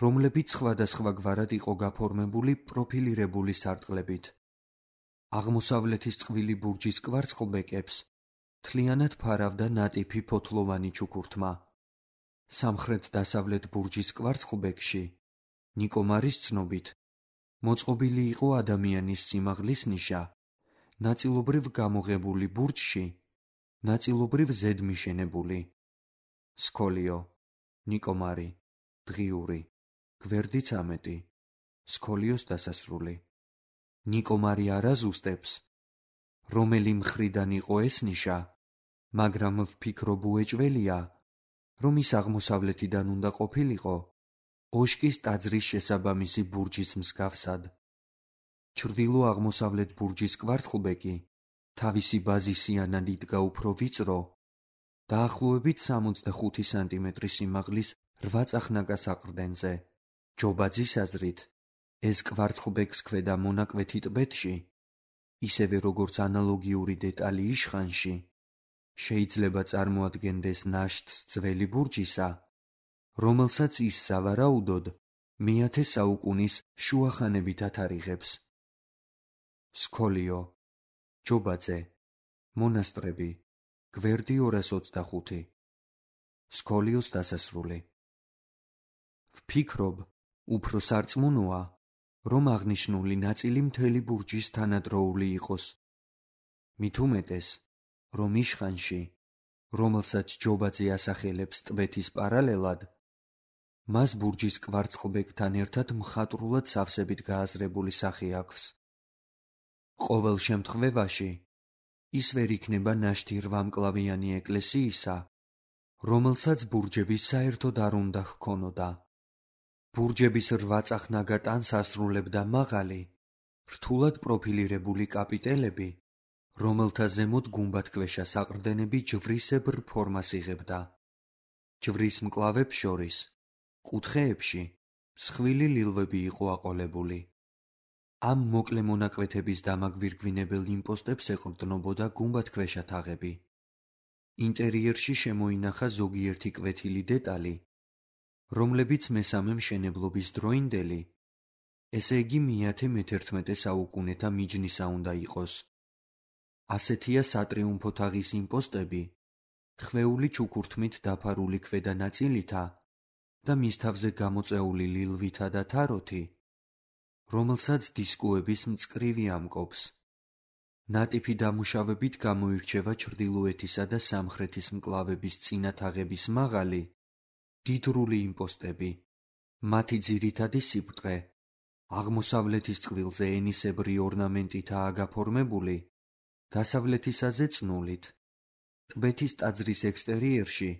რომლებიც სხვადასხვაგვარად იყო გაფორმებული პროფილირებული სარტყლებით. აღმოსავლეთის წყვილი ბურჯის კვარცხლბეკებს მთლიანად ფარავდა ნატიფი ფოთლოვანი ჩუქურთმა. სამხრეთ-დასავლეთ ბურჯის კვარცხლბეკში, ნიკომარის ცნობით, მოწყობილი იყო ადამიანის სიმაღლის ნიშა, ნაწილობრივ გამოღებული ბურჯში, ნაწილობრივ ზედმიშენებული. სქოლიო, ნიკომარი, დღიური, გვერდი ცამეტი, სქოლიოს დასასრული. ნიკომარი არ აზუსტებს, რომელი მხრიდან იყო ეს ნიშა, მაგრამ ვფიქრობ უეჭველია, რომ ის აღმოსავლეთიდან უნდა ყოფილიყო, ოშკის ტაძრის შესაბამისი ბურჯის მსგავსად. ჩრდილო-აღმოსავლეთ ბურჯის კვარცხლბეკი თავისი ბაზისიანად იდგა უფრო ვიწრო, დაახლოებით სამოცდახუთი სანტიმეტრის სიმაღლის რვა წახნაგას აყრდენზე. ჯობაძის აზრით, ეს კვარცხლბეკს ქვედა მონაკვეთი ტბეთში, ისევე როგორც ანალოგიური დეტალი იშხანში, შეიძლება წარმოადგენდეს ნაშთს ძველი ბურჯისა, რომელსაც ის სავარაუდოდ მეათე საუკუნის შუახანებით ათარიღებს. სქოლიო, ჯობაძე, მონასტრები, გვერდი ორას ოცდახუთი. სქოლიოს დასასრული. ვფიქრობ, უფრო სარწმუნოა, რომ აღნიშნული ნაწილი მთელი ბურჯის თანადროული იყოს. მით უმეტეს, რომ იშხანში, რომელსაც ჯობაძე ასახელებს ტბეთის პარალელად, მას ბურჯის კვარცხლბეკთან ერთად მხატვრულად სავსებით გააზრებული სახე აქვს. ყოველ შემთხვევაში, ის ვერ იქნება ნაშთი რვამკლავიანი ეკლესიისა, რომელსაც ბურჯები საერთოდ არ უნდა ჰქონოდა. ბურჯების რვაწახნაგა ტანს ასრულებდა მაღალი, რთულად პროფილირებული კაპიტელები, რომელთა ზემოთ გუმბათქვეშა საყრდენები ჯვრისებრ ფორმას იღებდა. ჯვრის მკლავებს შორის, კუთხეებში, მსხვილი ლილვები იყო აყოლებული. ამ მოკლე მონაკვეთების დამაგვირგვინებელ იმპოსტებს ეყრდნობოდა გუმბათქვეშა თაღები. ინტერიერში შემოინახა ზოგიერთი კვეთილი დეტალი, რომლებიც მესამე მშენებლობის დროინდელი, ესე იგი მეათე მეთერთმეტე საუკუნეთა მიჯნისა უნდა იყოს. ასეთია სატრიუმფო თაღის იმპოსტები, ხვეული ჩუქურთმით დაფარული ქვედა ნაწილითა და მის თავზე გამოწეული ლილვითა და თაროთი, რომელსაც დისკოების მწკრივი ამკობს. ნატიფი დამუშავებით გამოირჩევა ჩრდილოეთისა და სამხრეთის მკლავების წინა თაღების მაღალი, დიდრული იმპოსტები, მათი ძირითადი სიბრტყე, აღმოსავლეთის წყვილზე ენისებრი ორნამენტითაა გაფორმებული, დასავლეთისაზე წნულით. ტბეთის ტაძრის ექსტერიერში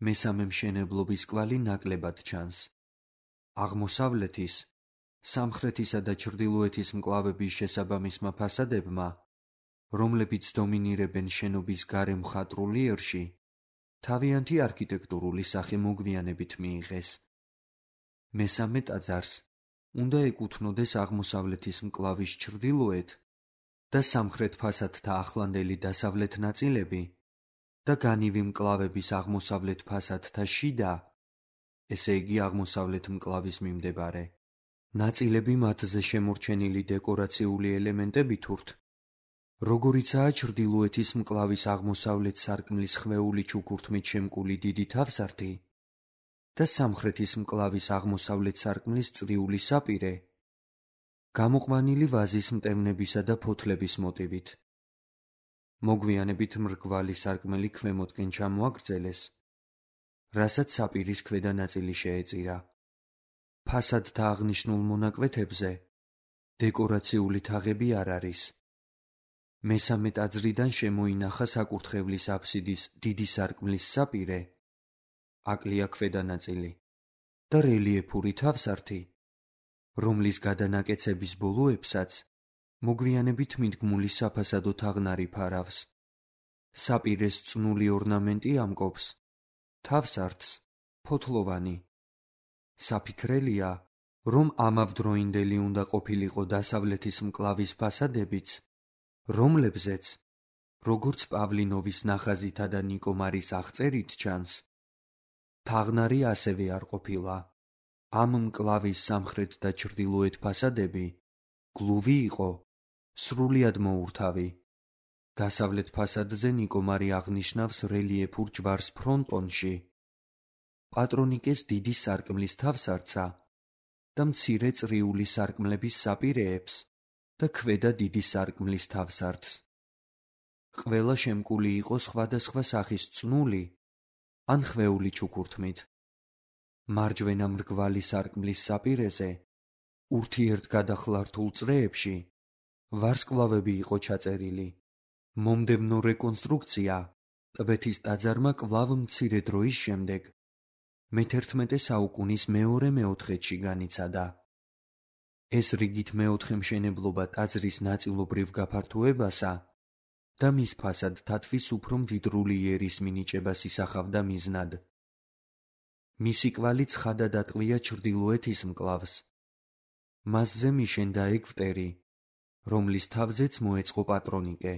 მესამე მშენებლობის კვალი ნაკლებად ჩანს. აღმოსავლეთის, სამხრეთისა და ჩრდილოეთის მკლავების შესაბამისმა ფასადებმა, რომლებიც დომინირებენ შენობის გარე მხატვრულიერში, თავიანთი არქიტექტურული სახე მოგვიანებით მიიღეს. მესამე ტაძარს უნდა ეკუთვნოდეს აღმოსავლეთის მკლავის ჩრდილოეთ და სამხრეთ ფასადთა ახლანდელი დასავლეთ ნაწილები და განივი მკლავების აღმოსავლეთ ფასადთა შიდა, ესე იგი აღმოსავლეთ მკლავის მიმდებარე ნაწილები მათზე შემორჩენილი დეკორაციული ელემენტებით ურთ, როგორიცაა ჩრდილოეთის მკლავის აღმოსავლეთ სარკმლის ხვეული ჩუქურთმით შემკული დიდი თავსართი და სამხრეთის მკლავის აღმოსავლეთ სარკმლის წრიული საპირე, გამოყვანილი ვაზის მტევნებისა და ფოთლების მოტივით. მოგვიანებით მრგვალი სარკმელი ქვემოთკენ ჩამოაგრძელეს, რასაც საპირის ქვედა ნაწილი შეეწირა. ფასადთა აღნიშნულ მონაკვეთებზე დეკორაციული თაღები არ არის. მესამე ტაძრიდან შემოინახა საკურთხევლის აფსიდის დიდი სარკმლის საპირე, აკლია ქვედა ნაწილი და რელიეფური თავსართი, რომლის გადანაკეცების ბოლოებსაც მოგვიანებით მიდგმული საფასადო თაღნარი ფარავს. საპირეს წნული ორნამენტი ამკობს, თავსართს ფოთლოვანი. საფიქრელია, რომ ამავდროინდელი უნდა ყოფილიყო დასავლეთის მკლავის ფასადებიც, რომლებზეც, როგორც პავლინოვის ნახაზითა და ნიკომარის აღწერით ჩანს, თაღნარი ასევე არ ყოფილა. ამ მკლავის სამხრეთ და ჩრდილოეთ ფასადები გლუვი იყო, სრულიად მოურთავი. დასავლეთ ფასადზე ნიკომარი აღნიშნავს რელიეფურ ჯვარს ფრონტონში, პატრონიკეს დიდი სარკმლის თავსართსა და მცირე წრიული სარკმლების საპირეებს და ქვედა დიდი სარკმლის თავსართს. ყველა შემკული იყო სხვადასხვა სახის წნული ან ხვეული ჩუქურთმით. მარჯვენა მრგვალი სარკმლის საპირეზე, ურთიერთგადახლართულ წრეებში, ვარსკვლავები იყო ჩაწერილი. მომდევნო რეკონსტრუქცია ტბეთის ტაძარმა კვლავ მცირე დროის შემდეგ, მეთერთმეტე საუკუნის მეორე-მეოთხედში განიცადა. ეს რიგით მეოთხე მშენებლობა ტაძრის ნაწილობრივ გაფართოებასა და მის ფასადთათვის უფრო მდიდრული იერის მინიჭებას ისახავდა მიზნად. მისი კვალი ცხადად ატყვია ჩრდილოეთის მკლავს. მასზე მიშენდა ეგვტერი, რომლის თავზეც მოეწყო პატრონიკე.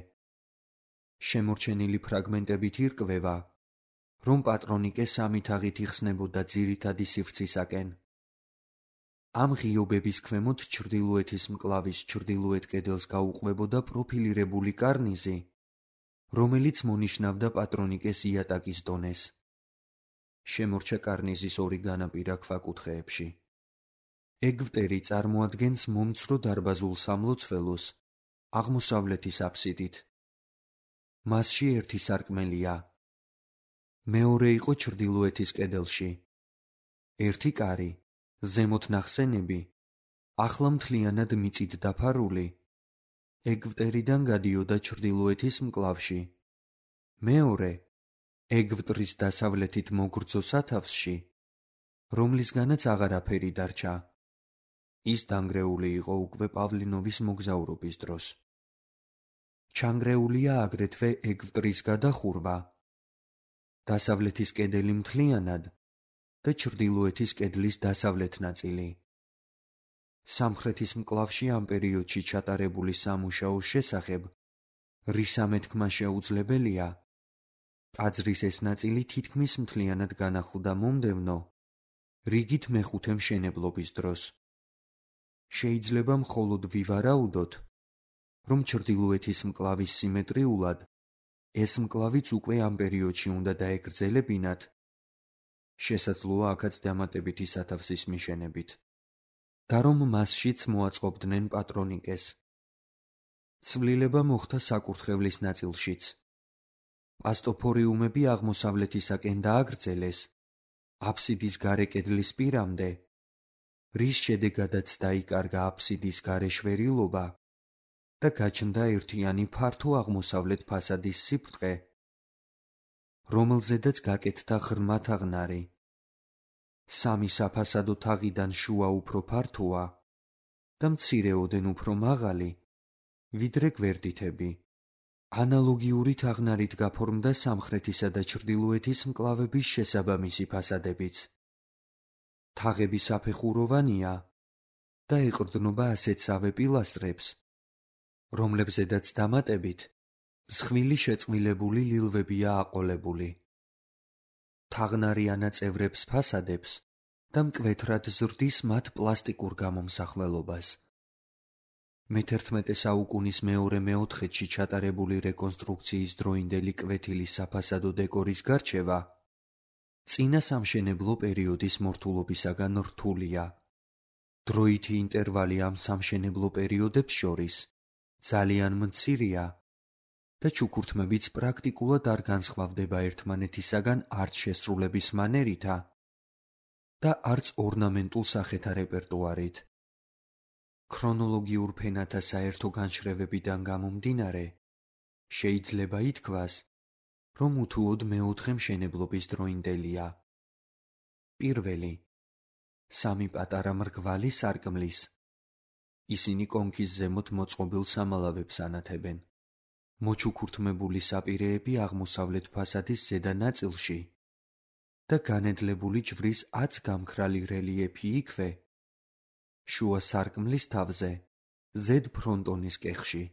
შემორჩენილი ფრაგმენტებით ირკვევა, რომ პატრონიკე სამი თაღით იხსნებოდა ძირითადი სივრცისაკენ. ამ ღიობების ქვემოთ ჩრდილოეთის მკლავის ჩრდილოეთ კედელს გაუყვებოდა პროფილირებული კარნიზი, რომელიც მონიშნავდა პატრონიკეს იატაკის დონეს. შემორჩა კარნიზის ორი განაპირა ქვაკუთხეებში. ეგვტერი წარმოადგენს მომცრო დარბაზულ სამლოცველოს აღმოსავლეთის აფსიდით. მასში ერთი სარკმელია. მეორე იყო ჩრდილოეთის კედელში. ერთი კარი, ზემოთ ნახსენები, ახლა მთლიანად მიწით დაფარული, ეგვტერიდან გადიოდა ჩრდილოეთის მკლავში. მეორე, ეგვტრის დასავლეთით მოგრძო სათავსში, რომლისგანაც აღარაფერი დარჩა. ის დანგრეული იყო უკვე პავლინოვის მოგზაურობის დროს. ჩანგრეულია აგრეთვე ეგვტრის გადახურვა, დასავლეთის კედელი მთლიანად და ჩრდილოეთის კედლის დასავლეთ ნაწილი. სამხრეთის მკლავში ამ პერიოდში ჩატარებული სამუშაოს შესახებ რის ამეთქმა შეუძლებელია, ტაძრის ეს ნაწილი თითქმის მთლიანად განახლდა მომდევნო, რიგით მეხუთე მშენებლობის დროს. შეიძლება მხოლოდ ვივარაუდოთ, რომ ჩრდილოეთის მკლავის სიმეტრიულად ეს მკლავიც უკვე ამ პერიოდში უნდა დაეგრძელებინათ, შესაძლოა აქაც დამატებითი სათავსის მიშენებით, და რომ მასშიც მოაწყობდნენ პატრონიკეს. ცვლილება მოხდა საკურთხევლის ნაწილშიც. პასტოფორიუმები აღმოსავლეთისაკენ დააგრძელეს, აფსიდის გარე კედლის პირამდე, რის შედეგადაც დაიკარგა აფსიდის გარე შვერილობა და გაჩნდა ერთიანი ფართო აღმოსავლეთ ფასადის სიბრტყე, რომელზედაც გაკეთდა ღრმა თაღნარი. სამი საფასადო თაღიდან შუა უფრო ფართოა და მცირეოდენ უფრო მაღალი, ვიდრე გვერდითები. ანალოგიური თაღნარით გაფორმდა სამხრეთისა და ჩრდილოეთის მკლავების შესაბამისი ფასადებიც. თაღები საფეხუროვანია და ეყრდნობა ასეთსავე პილასტრებს, რომლებზედაც დამატებით მსხვილი შეწყვილებული ლილვებია აყოლებული. თაღნარი ანაწევრებს ფასადებს და მკვეთრად ზრდის მათ პლასტიკურ გამომსახველობას. მეთერთმეტე საუკუნის მეორე-მეოთხედში ჩატარებული რეკონსტრუქციის დროინდელი კვეთილი საფასადო დეკორის გარჩევა წინა სამშენებლო პერიოდის მორთულობისაგან რთულია. დროითი ინტერვალი ამ სამშენებლო პერიოდებს შორის ძალიან მცირეა და ჩუქურთმებიც პრაქტიკულად არ განსხვავდება ერთმანეთისაგან არც შესრულების მანერითა და არც ორნამენტულ სახეთა რეპერტუარით. ქრონოლოგიურ ფენათა საერთო განშრევებიდან გამომდინარე, შეიძლება ითქვას, რომ უთუოდ მეოთხე მშენებლობის დროინდელია. პირველი, სამი პატარა მრგვალი სარკმლის. ისინი კონქის ზემოთ მოწყობილ სამალავებს ანათებენ. მოჩუქურთმებული საპირეები აღმოსავლეთ ფასადის ზედა ნაწილში და განედლებული ჯვრის აც გამქრალი რელიეფი იქვე, შუა სარკმლის თავზე, ზედ ფრონტონის კეხში.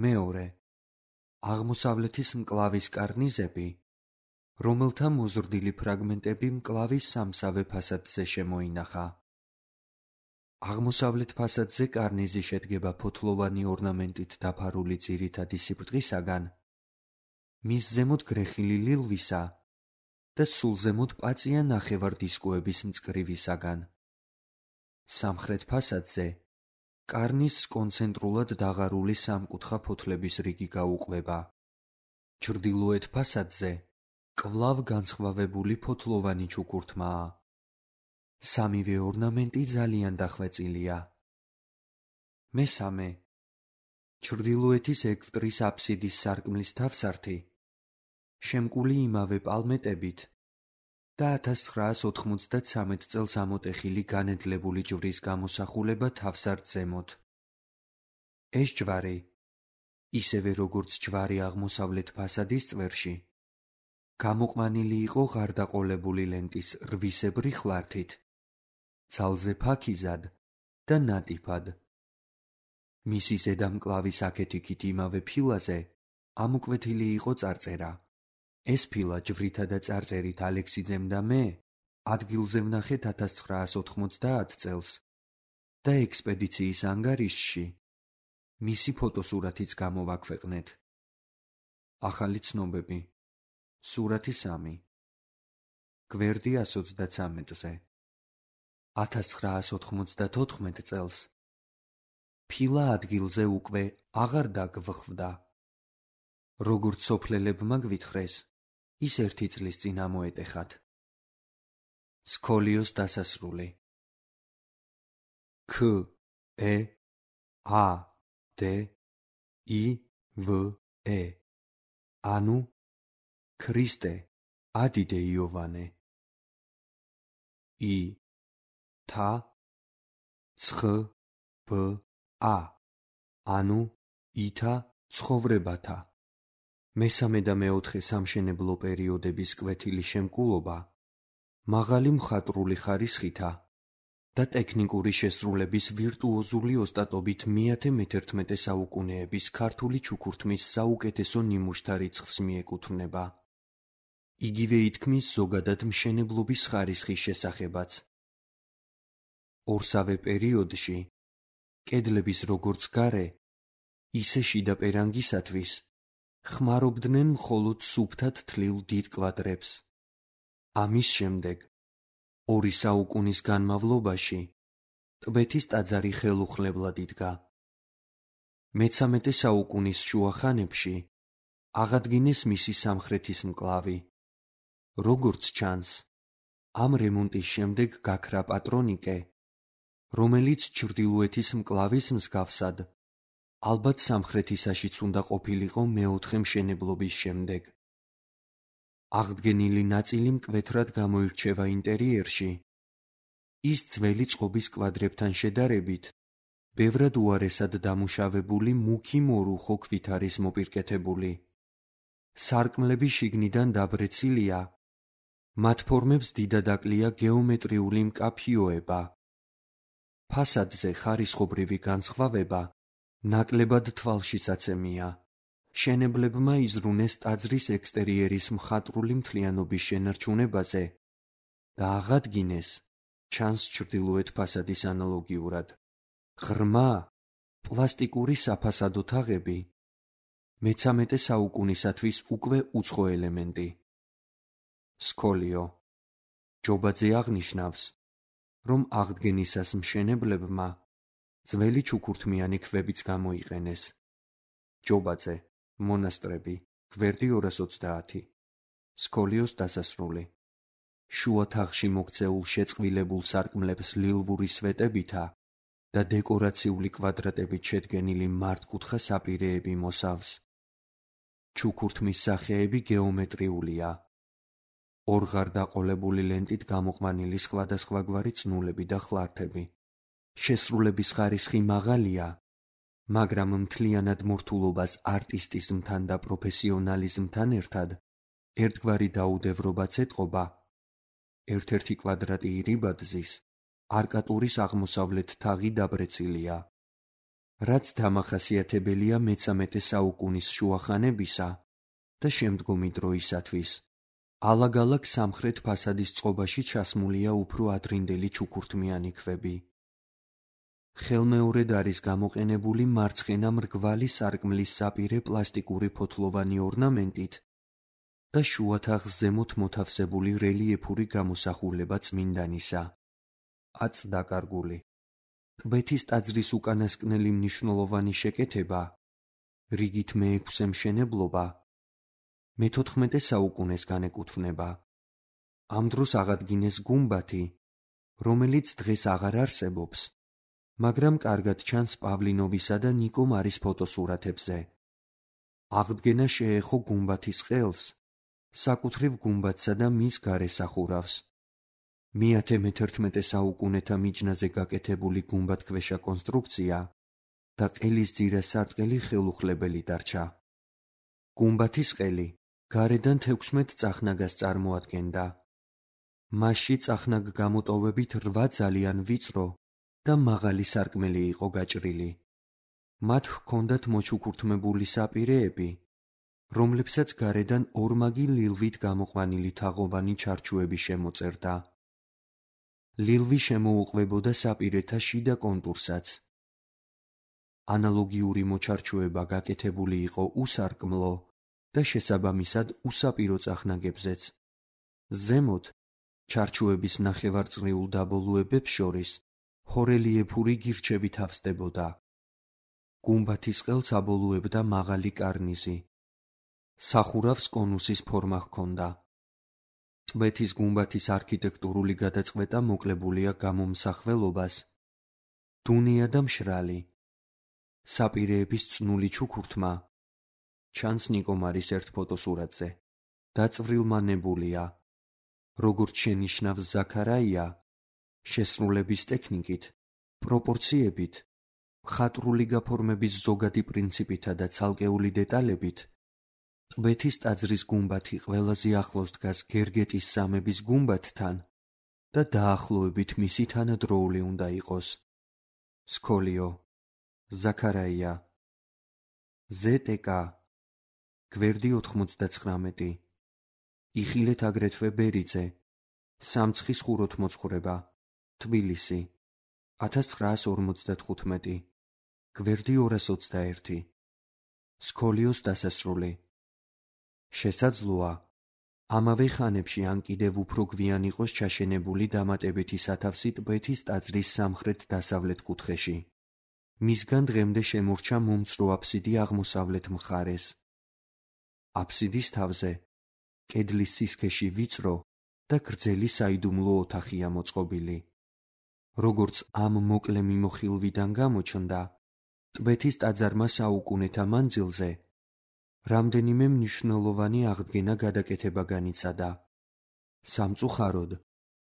მეორე, აღმოსავლეთის მკლავის კარნიზები, რომელთა მოზრდილი ფრაგმენტები მკლავის სამსავე ფასადზე შემოინახა. აღმოსავლეთ ფასადზე კარნიზი შედგება ფოთლოვანი ორნამენტით დაფარული ძირითადი სიბრტყისაგან, მის ზემოთ გრეხილი ლილვისა და სულ ზემოთ პაწია ნახევარდისკოების მწკრივისაგან. სამხრეთ ფასადზე კარნიზს კონცენტრულად დაღარული სამკუთხა ფოთლების რიგი გაუყვება. ჩრდილოეთ ფასადზე კვლავ განსხვავებული ფოთლოვანი ჩუქურთმაა. სამივე ორნამენტი ძალიან დახვეწილია. მესამე, ჩრდილოეთის ეგვტრის აფსიდის სარკმლის თავსართი შემკული იმავე პალმეტებით და ათას ცხრაას ოთხმოცდათსამეტ წელს ამოტეხილი განედლებული ჯვრის გამოსახულება თავსართ ზემოთ. ეს ჯვარი, ისევე როგორც ჯვარი აღმოსავლეთ ფასადის წვერში, გამოყვანილი იყო ღარდაყოლებული ლენტის რვისებრი ხლართით, ძალზე ფაქიზად და ნატიფად. მისი ზედა მკლავის აქეთ-იქით იმავე ფილაზე ამოკვეთილი იყო წარწერა. ეს ფილა ჯვრითა და წარწერით ალექსიძემ და მე ადგილზე ვნახეთ ათას ცხრაას ოთხმოცდაათ წელს და ექსპედიციის ანგარიშში მისი ფოტოსურათიც გამოვაქვეყნეთ. ახალი ცნობები. სურათი სამი. გვერდი ას ოცდათსამეტზე. ათას ცხრაას ოთხმოცდათოთხმეტ წელს ფილა ადგილზე უკვე აღარ დაგვხვდა. როგორც სოფლელებმა გვითხრეს, ის ერთი წლის წინ ამოეტეხათ. სქოლიოს დასასრული. ქ ე ა დ ი ვ ე ანუ ქრისტე ადიდე იოვანე. ი თა ცხ ბ ა ანუ ითა ცხოვრებათა. მესამე და მეოთხე სამშენებლო პერიოდების კვეთილი შემკულობა მაღალი მხატვრული ხარისხითა და ტექნიკური შესრულების ვირტუოზული ოსტატობით მეათე მეთერთმეტე საუკუნეების ქართული ჩუქურთმის საუკეთესო ნიმუშთა რიცხვს მიეკუთვნება. იგივე ითქმის ზოგადად მშენებლობის ხარისხის შესახებაც. ორსავე პერიოდში კედლების როგორც გარე, ისე შიდა პერანგისათვის ხმარობდნენ მხოლოდ სუფთად თლილ დიდ კვადრებს. ამის შემდეგ ორი საუკუნის განმავლობაში ტბეთის ტაძარი ხელუხლებლად იდგა. მეცამეტე საუკუნის შუახანებში აღადგინეს მისი სამხრეთის მკლავი. როგორც ჩანს, ამ რემონტის შემდეგ გაქრა პატრონიკე, რომელიც ჩრდილოეთის მკლავის მსგავსად ალბათ სამხრეთისაშიც უნდა ყოფილიყო მეოთხე მშენებლობის შემდეგ. აღდგენილი ნაწილი მკვეთრად გამოირჩევა ინტერიერში. ის ძველი წყობის კვადრებთან შედარებით ბევრად უარესად დამუშავებული მუქი მორუხო ქვით არის მოპირკეთებული. სარკმლები შიგნიდან დაბრეცილია, მათ ფორმებს დიდად აკლია გეომეტრიული მკაფიოება. ფასადზე ხარისხობრივი განსხვავება ნაკლებად თვალშისაცემია. მშენებლებმა იზრუნეს ტაძრის ექსტერიერის მხატვრული მთლიანობის შენარჩუნებაზე და აღადგინეს, ჩანს ჩრდილოეთ ფასადის ანალოგიურად, ღრმა პლასტიკური საფასადო თაღები, მეცამეტე საუკუნისათვის უკვე უცხო ელემენტი. სქოლიო. ჯობაძე აღნიშნავს, რომ აღდგენისას მშენებლებმა ძველი ჩუქურთმიანი ქვებიც გამოიყენეს. ჯობაძე, მონასტრები, გვერდი ორას ოცდაათი. სქოლიოს დასასრული. შუა თაღში მოქცეულ შეწყვილებულ სარკმლებს ლილვური სვეტებითა და დეკორაციული კვადრატებით შედგენილი მართკუთხა საპირეები მოსავს. ჩუქურთმის სახეები გეომეტრიულია. ორღარდაყოლებული ლენტით გამოყვანილი სხვადასხვაგვარი წნულები და ხლართები. შესრულების ხარისხი მაღალია, მაგრამ მთლიანად მორთულობას არტისტიზმთან და პროფესიონალიზმთან ერთად ერთგვარი დაუდევრობაც ეტყობა. ერთ-ერთი კვადრატი ირიბაძის, არკატურის აღმოსავლეთ თაღი დაბრეცილია. რაც დამახასიათებელია მეცამეტე საუკუნის შუახანებისა და შემდგომი დროისათვის. ალაგ-ალაგ სამხრეთ ფასადის წყობაში ჩასმულია უფრო ადრინდელი ჩუქურთმიანი ქვები. ხელმეორედ არის გამოყენებული მარცხენა მრგვალი სარკმლის საპირე პლასტიკური ფოთლოვანი ორნამენტით და შუათაღს ზემოთ მოთავსებული რელიეფური გამოსახულება წმინდანისა. აწ დაკარგული. ტბეთის ტაძრის უკანასკნელი მნიშვნელოვანი შეკეთება, რიგით მეექვსე მშენებლობა, მეთოთხმეტე საუკუნეს განეკუთვნება. ამ დროს აღადგინეს გუმბათი, რომელიც დღეს აღარ არსებობს, მაგრამ კარგად ჩანს პავლინოვისა და ნიკო მარის ფოტოსურათებზე. აღდგენა შეეხო გუმბათის ყელს, საკუთრივ გუმბათსა და მის გარესახურავს. მეათე მეთერთმეტე საუკუნეთა მიჯნაზე გაკეთებული გუმბათქვეშა კონსტრუქცია და ყელის ძირას სარტყელი ხელუხლებელი დარჩა. გუმბათის ყელი გარედან თექვსმეტ წახნაგას წარმოადგენდა. მასში წახნაგ გამოტოვებით რვა ძალიან ვიწრო და მაღალი სარკმელი იყო გაჭრილი. მათ ჰქონდათ მოჩუქურთმებული საპირეები, რომლებსაც გარედან ორმაგი ლილვით გამოყვანილი თაღოვანი ჩარჩოები შემოწერდა. ლილვი შემოუყვებოდა საპირეთა შიდა კონტურსაც. ანალოგიური მოჩარჩოება გაკეთებული იყო უსარკმლო და შესაბამისად უსაპირო წახნაგებზეც. ზემოთ, ჩარჩოების ნახევარწრიულ დაბოლოებებს შორის, ჰორელიეფური გირჩები თავსდებოდა. გუმბათის ყელს აბოლოებდა მაღალი კარნიზი. სახურავს კონუსის ფორმა ჰქონდა. ტბეთის გუმბათის არქიტექტურული გადაწყვეტა მოკლებულია გამომსახველობას, დუნია და მშრალი. საპირეების წნული ჩუქურთმა, ჩანს ნიკო მარის ერთ ფოტოსურათზე, დაწვრილმანებულია, როგორც შენიშნავს ზაქარაია, შესრულების ტექნიკით, პროპორციებით, მხატვრული გაფორმების ზოგადი პრინციპითა და ცალკეული დეტალებით, ტბეთის ტაძრის გუმბათი ყველაზე ახლოს დგას გერგეტის სამების გუმბათთან და დაახლოებით მისი თანადროული უნდა იყოს. სკოლიო, ზაქარაია, ზეტეკა, გვერდი ოთხმოცდაცხრამეტი, იხილეთ აგრეთვე ბერიძე, სამცხის ხუროთმოძღვრება, თბილისი, ათას ცხრაას ორმოცდათხუთმეტი, გვერდი ორას ოცდაერთი, სკოლიოს დასასრული. შესაძლოა, ამავე ხანებში ან კიდევ უფრო გვიან იყოს ჩაშენებული დამატებითი სათავსი ტბეთის ტაძრის სამხრეთ-დასავლეთ კუთხეში. მისგან დღემდე შემორჩა მომცრო აფსიდი აღმოსავლეთ მხარეს. აფსიდის თავზე, კედლის სისქეში ვიწრო და გრძელი საიდუმლო ოთახია მოწყობილი. როგორც ამ მოკლე მიმოხილვიდან გამოჩნდა, ტბეთის ტაძარმა საუკუნეთა მანძილზე რამდენიმე მნიშვნელოვანი აღდგენა გადაკეთება განიცადა. სამწუხაროდ,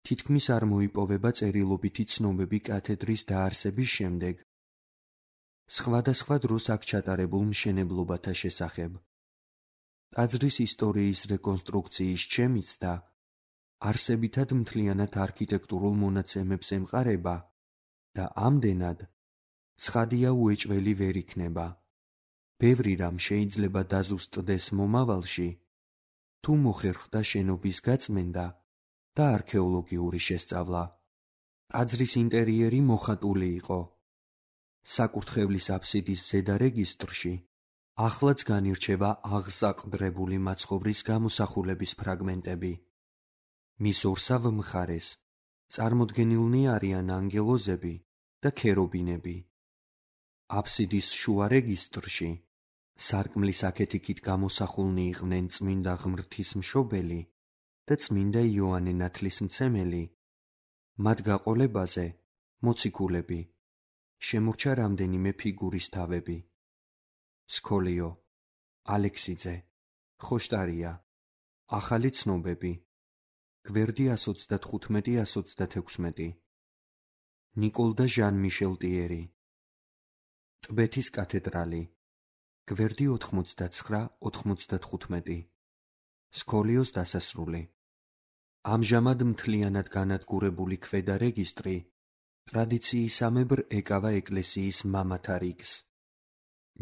თითქმის არ მოიპოვება წერილობითი ცნობები კათედრის დაარსების შემდეგ. სხვადასხვა დროს აქ ჩატარებულ მშენებლობათა შესახებ. ტაძრის ისტორიის რეკონსტრუქციის შემიცდა, არსებითად მთლიანად არქიტექტურულ მონაცემებს ემყარება და ამდენად ცხადია უეჭველი ვერ იქნება. ბევრი რამ შეიძლება დაზუსტდეს მომავალში, თუ მოხერხდა შენობის გაწმენდა და არქეოლოგიური შესწავლა. ტაძრის ინტერიერი მოხატული იყო. საკურთხევლის აფსიდის ზედა რეგისტრში ახლაც განირჩევა აღსაყდრებული მაცხოვრის გამოსახულების ფრაგმენტები. მის ორსავ მხარეს წარმოდგენილნი არიან ანგელოზები და ქერობინები. აფსიდის შუა რეგისტრში სარკმლის აქეთ-იქით გამოსახულნი იყვნენ წმინდა ღმრთისმშობელი და წმინდა იოანე ნათლისმცემელი. მათ გაყოლებაზე მოციქულები, შემორჩა რამდენიმე ფიგურის თავები. სკოლიო, ალექსიძე, ხოშტარია, ახალი ცნობები, გვერდი ას ოცდათხუთმეტი ას ოცდათექვსმეტი, ნიკოლ და ჟან მიშელ ტიერი, ტბეთის კათედრალი, გვერდი ოთხმოცდაცხრა ოთხმოცდათხუთმეტი, სკოლიოს დასასრული. ამჟამად მთლიანად განადგურებული ქვედა რეგისტრი ტრადიციისამებრ ეკავა ეკლესიის მამათა რიგს.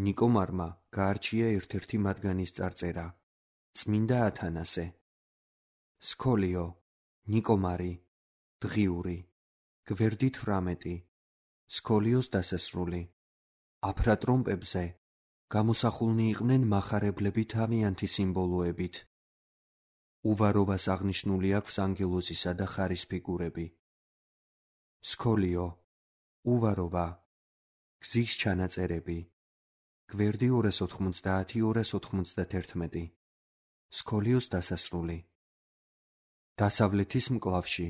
ნიკო მარმა გაარჩია ერთ-ერთი მათგანის წარწერა, წმინდა ათანასე. სკოლიო, ნიკო მარი, დღიური, გვერდი თვრამეტი, სქოლიოს დასასრული. აფრატრომპებზე გამოსახულნი იყვნენ მახარებლები თავიანთი სიმბოლოებით. უვაროვას აღნიშნული აქვს ანგელოზისა და ხარის ფიგურები. სქოლიო, უვაროვა, გზის ჩანაწერები. გვერდი ორას ოთხმოცდაათი ორას ოთხმოცდაათი. სქოლიოს დასასრული. დასავლეთის მკლავში.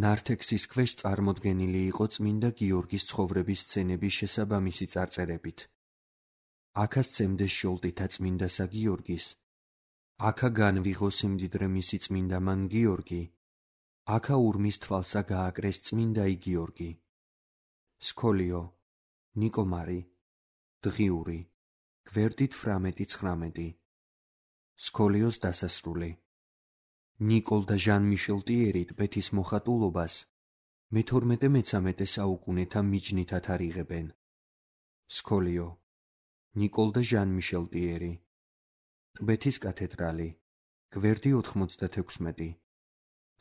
ნართექსის ქვეშ წარმოდგენილი იყო წმინდა გიორგის ცხოვრების სცენების შესაბამისი წარწერებით. აქა სცემდეს შოლტითა წმინდასა გიორგის. აქა განვიღო სიმდიდრე მისი წმინდა მან გიორგი. აქა ურმის თვალსა გააკრეს წმინდა ი გიორგი. სქოლიო, ნიკომარი, დღიური, გვერდით ფრამეტი ცხრამეტი. სქოლიოს დასასრული. ნიკოლ და ჟან მიშელ ტიერი ტბეთის მოხატულობას მეთორმეტე-მეცამეტე საუკუნეთა მიჯნით ათარიღებენ. სქოლიო, ნიკოლ და ჟან მიშელ ტიერი. ტბეთის კათედრალი, გვერდი ოთხმოცდათექვსმეტი.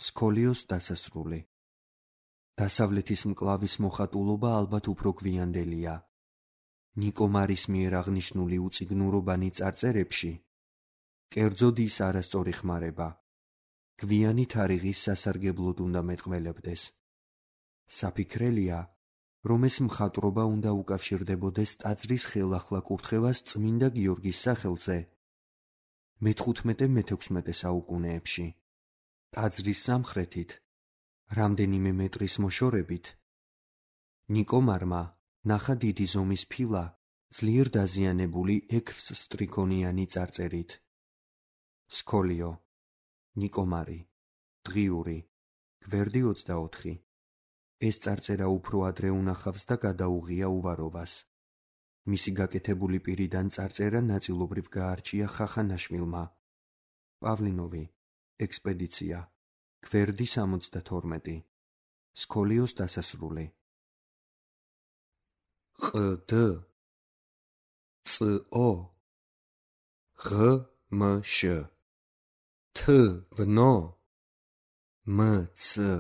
სქოლიოს დასასრული. დასავლეთის მკლავის მოხატულობა ალბათ უფრო გვიანდელია. ნიკომარის მიერ აღნიშნული უწიგნურობანი წარწერებში კერძოდ ის არასწორი ხმარება. გვიანი თარიღის სასარგებლოდ უნდა მეტყველებდეს. საფიქრელია, რომ ეს მხატვრობა უნდა უკავშირდებოდეს ტაძრის ხელახლა კურთხევას წმინდა გიორგის სახელზე მეთხუთმეტე-მეთექვსმეტე საუკუნეებში. ტაძრის სამხრეთით, რამდენიმე მეტრის მოშორებით, ნიკომარმა ნახა დიდი ზომის ფილა ძლიერ დაზიანებული ექვსსტრიქონიანი წარწერით. სქოლიო, ნიკომარი, დღიური, გვერდი ოცდაოთხი. ეს წარწერა უფრო ადრე უნახავს და გადაუღია უვაროვას. მისი გაკეთებული პირიდან წარწერა ნაწილობრივ გაარჩია ხახანაშვილმა. პავლინოვი, ექსპედიცია, გვერდი სამოცდათორმეტი. სქოლიოს დასასრული. ყდ, წო, ღმშ, თვნო, მცქთნო,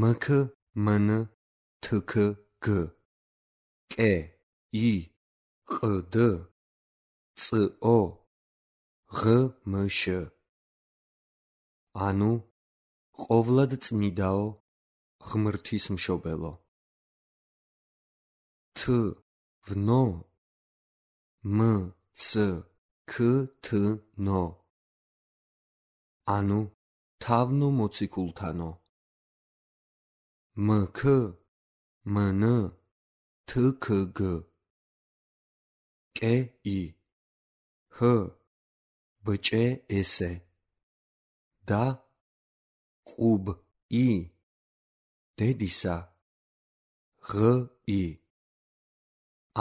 მქმნ, თქგ, კე, ი, ყდ, წო, ღმშ. ანუ ყოვლად წმიდაო, ღმრთის მშობელო. თვნო, მცქთნო. ანუ თავნო მოციქულთანო. მქმნ, თქგ, კე, ი, ჰ, ბჭე, ესე. და ყუბ, ი, დედისა, ღ, ი.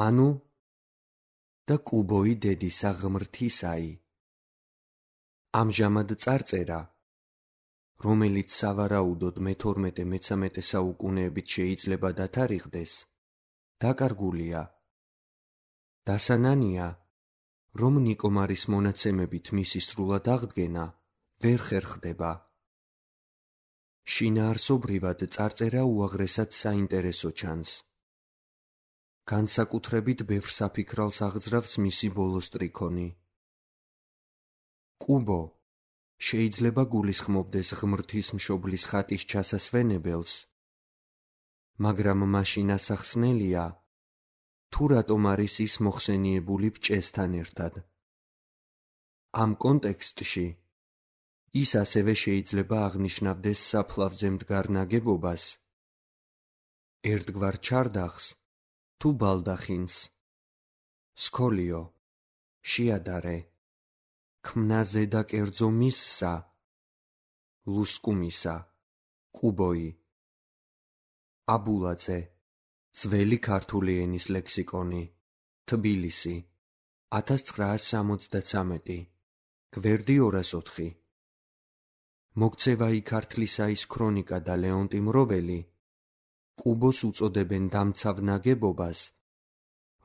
ანუ და კუბოი დედისა ღმრთისაი. ამჟამად წარწერა, რომელიც სავარაუდოდ მეთორმეტე-მეცამეტე საუკუნეებით შეიძლება დათარიღდეს, დაკარგულია. დასანანია, რომ ნიკომარის მონაცემებით მისი სრულად აღდგენა ვერ ხერხდება. შინაარსობრივად წარწერა უაღრესად საინტერესო ჩანს. განსაკუთრებით ბევრ საფიქრალს აღძრავს მისი ბოლო სტრიქონი. კუბო შეიძლება გულისხმობდეს ღმრთის მშობლის ხატის ჩასასვენებელს, მაგრამ მაშინ ასახსნელია, თუ რატომ არის ის მოხსენიებული ბჭესთან ერთად. ამ კონტექსტში ის ასევე შეიძლება აღნიშნავდეს საფლავზე მდგარ ნაგებობას, ერთგვარ ჩარდახს თუ ბალდახინს. სქოლიო, შეადარე, ქმნაზე და კერძო მისსა, ლუსკუმისა, კუბოი. აბულაძე, ძველი ქართული ენის ლექსიკონი, თბილისი, ათას ცხრაას სამოცდათვრამეტი, გვერდი ორას ოთხი. მოგცევა ი ქართლისაის ქრონიკა და ლეონტი მროველი კუბოს უწოდებენ დამცავ ნაგებობას,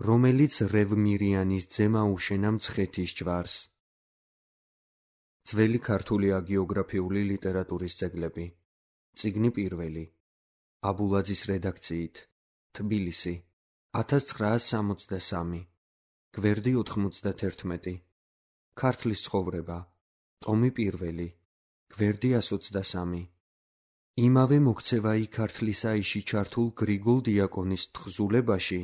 რომელიც რევმირიანის ძემ აუშენა მცხეთის ჯვარს. ძველი ქართული აგიოგრაფიული ლიტერატურის ძეგლები. წიგნი პირველი. აბულაძის რედაქციით. თბილისი. ათას ცხრაას სამოცდასამი. გვერდი ოთხმოცდათერთმეტი. ქართლის ცხოვრება. ტომი პირველი. გვერდი ასოცდასამი. იმავე მოქცევაი ქართლისაიში ჩართულ გრიგოლ დიაკონის თხზულებაში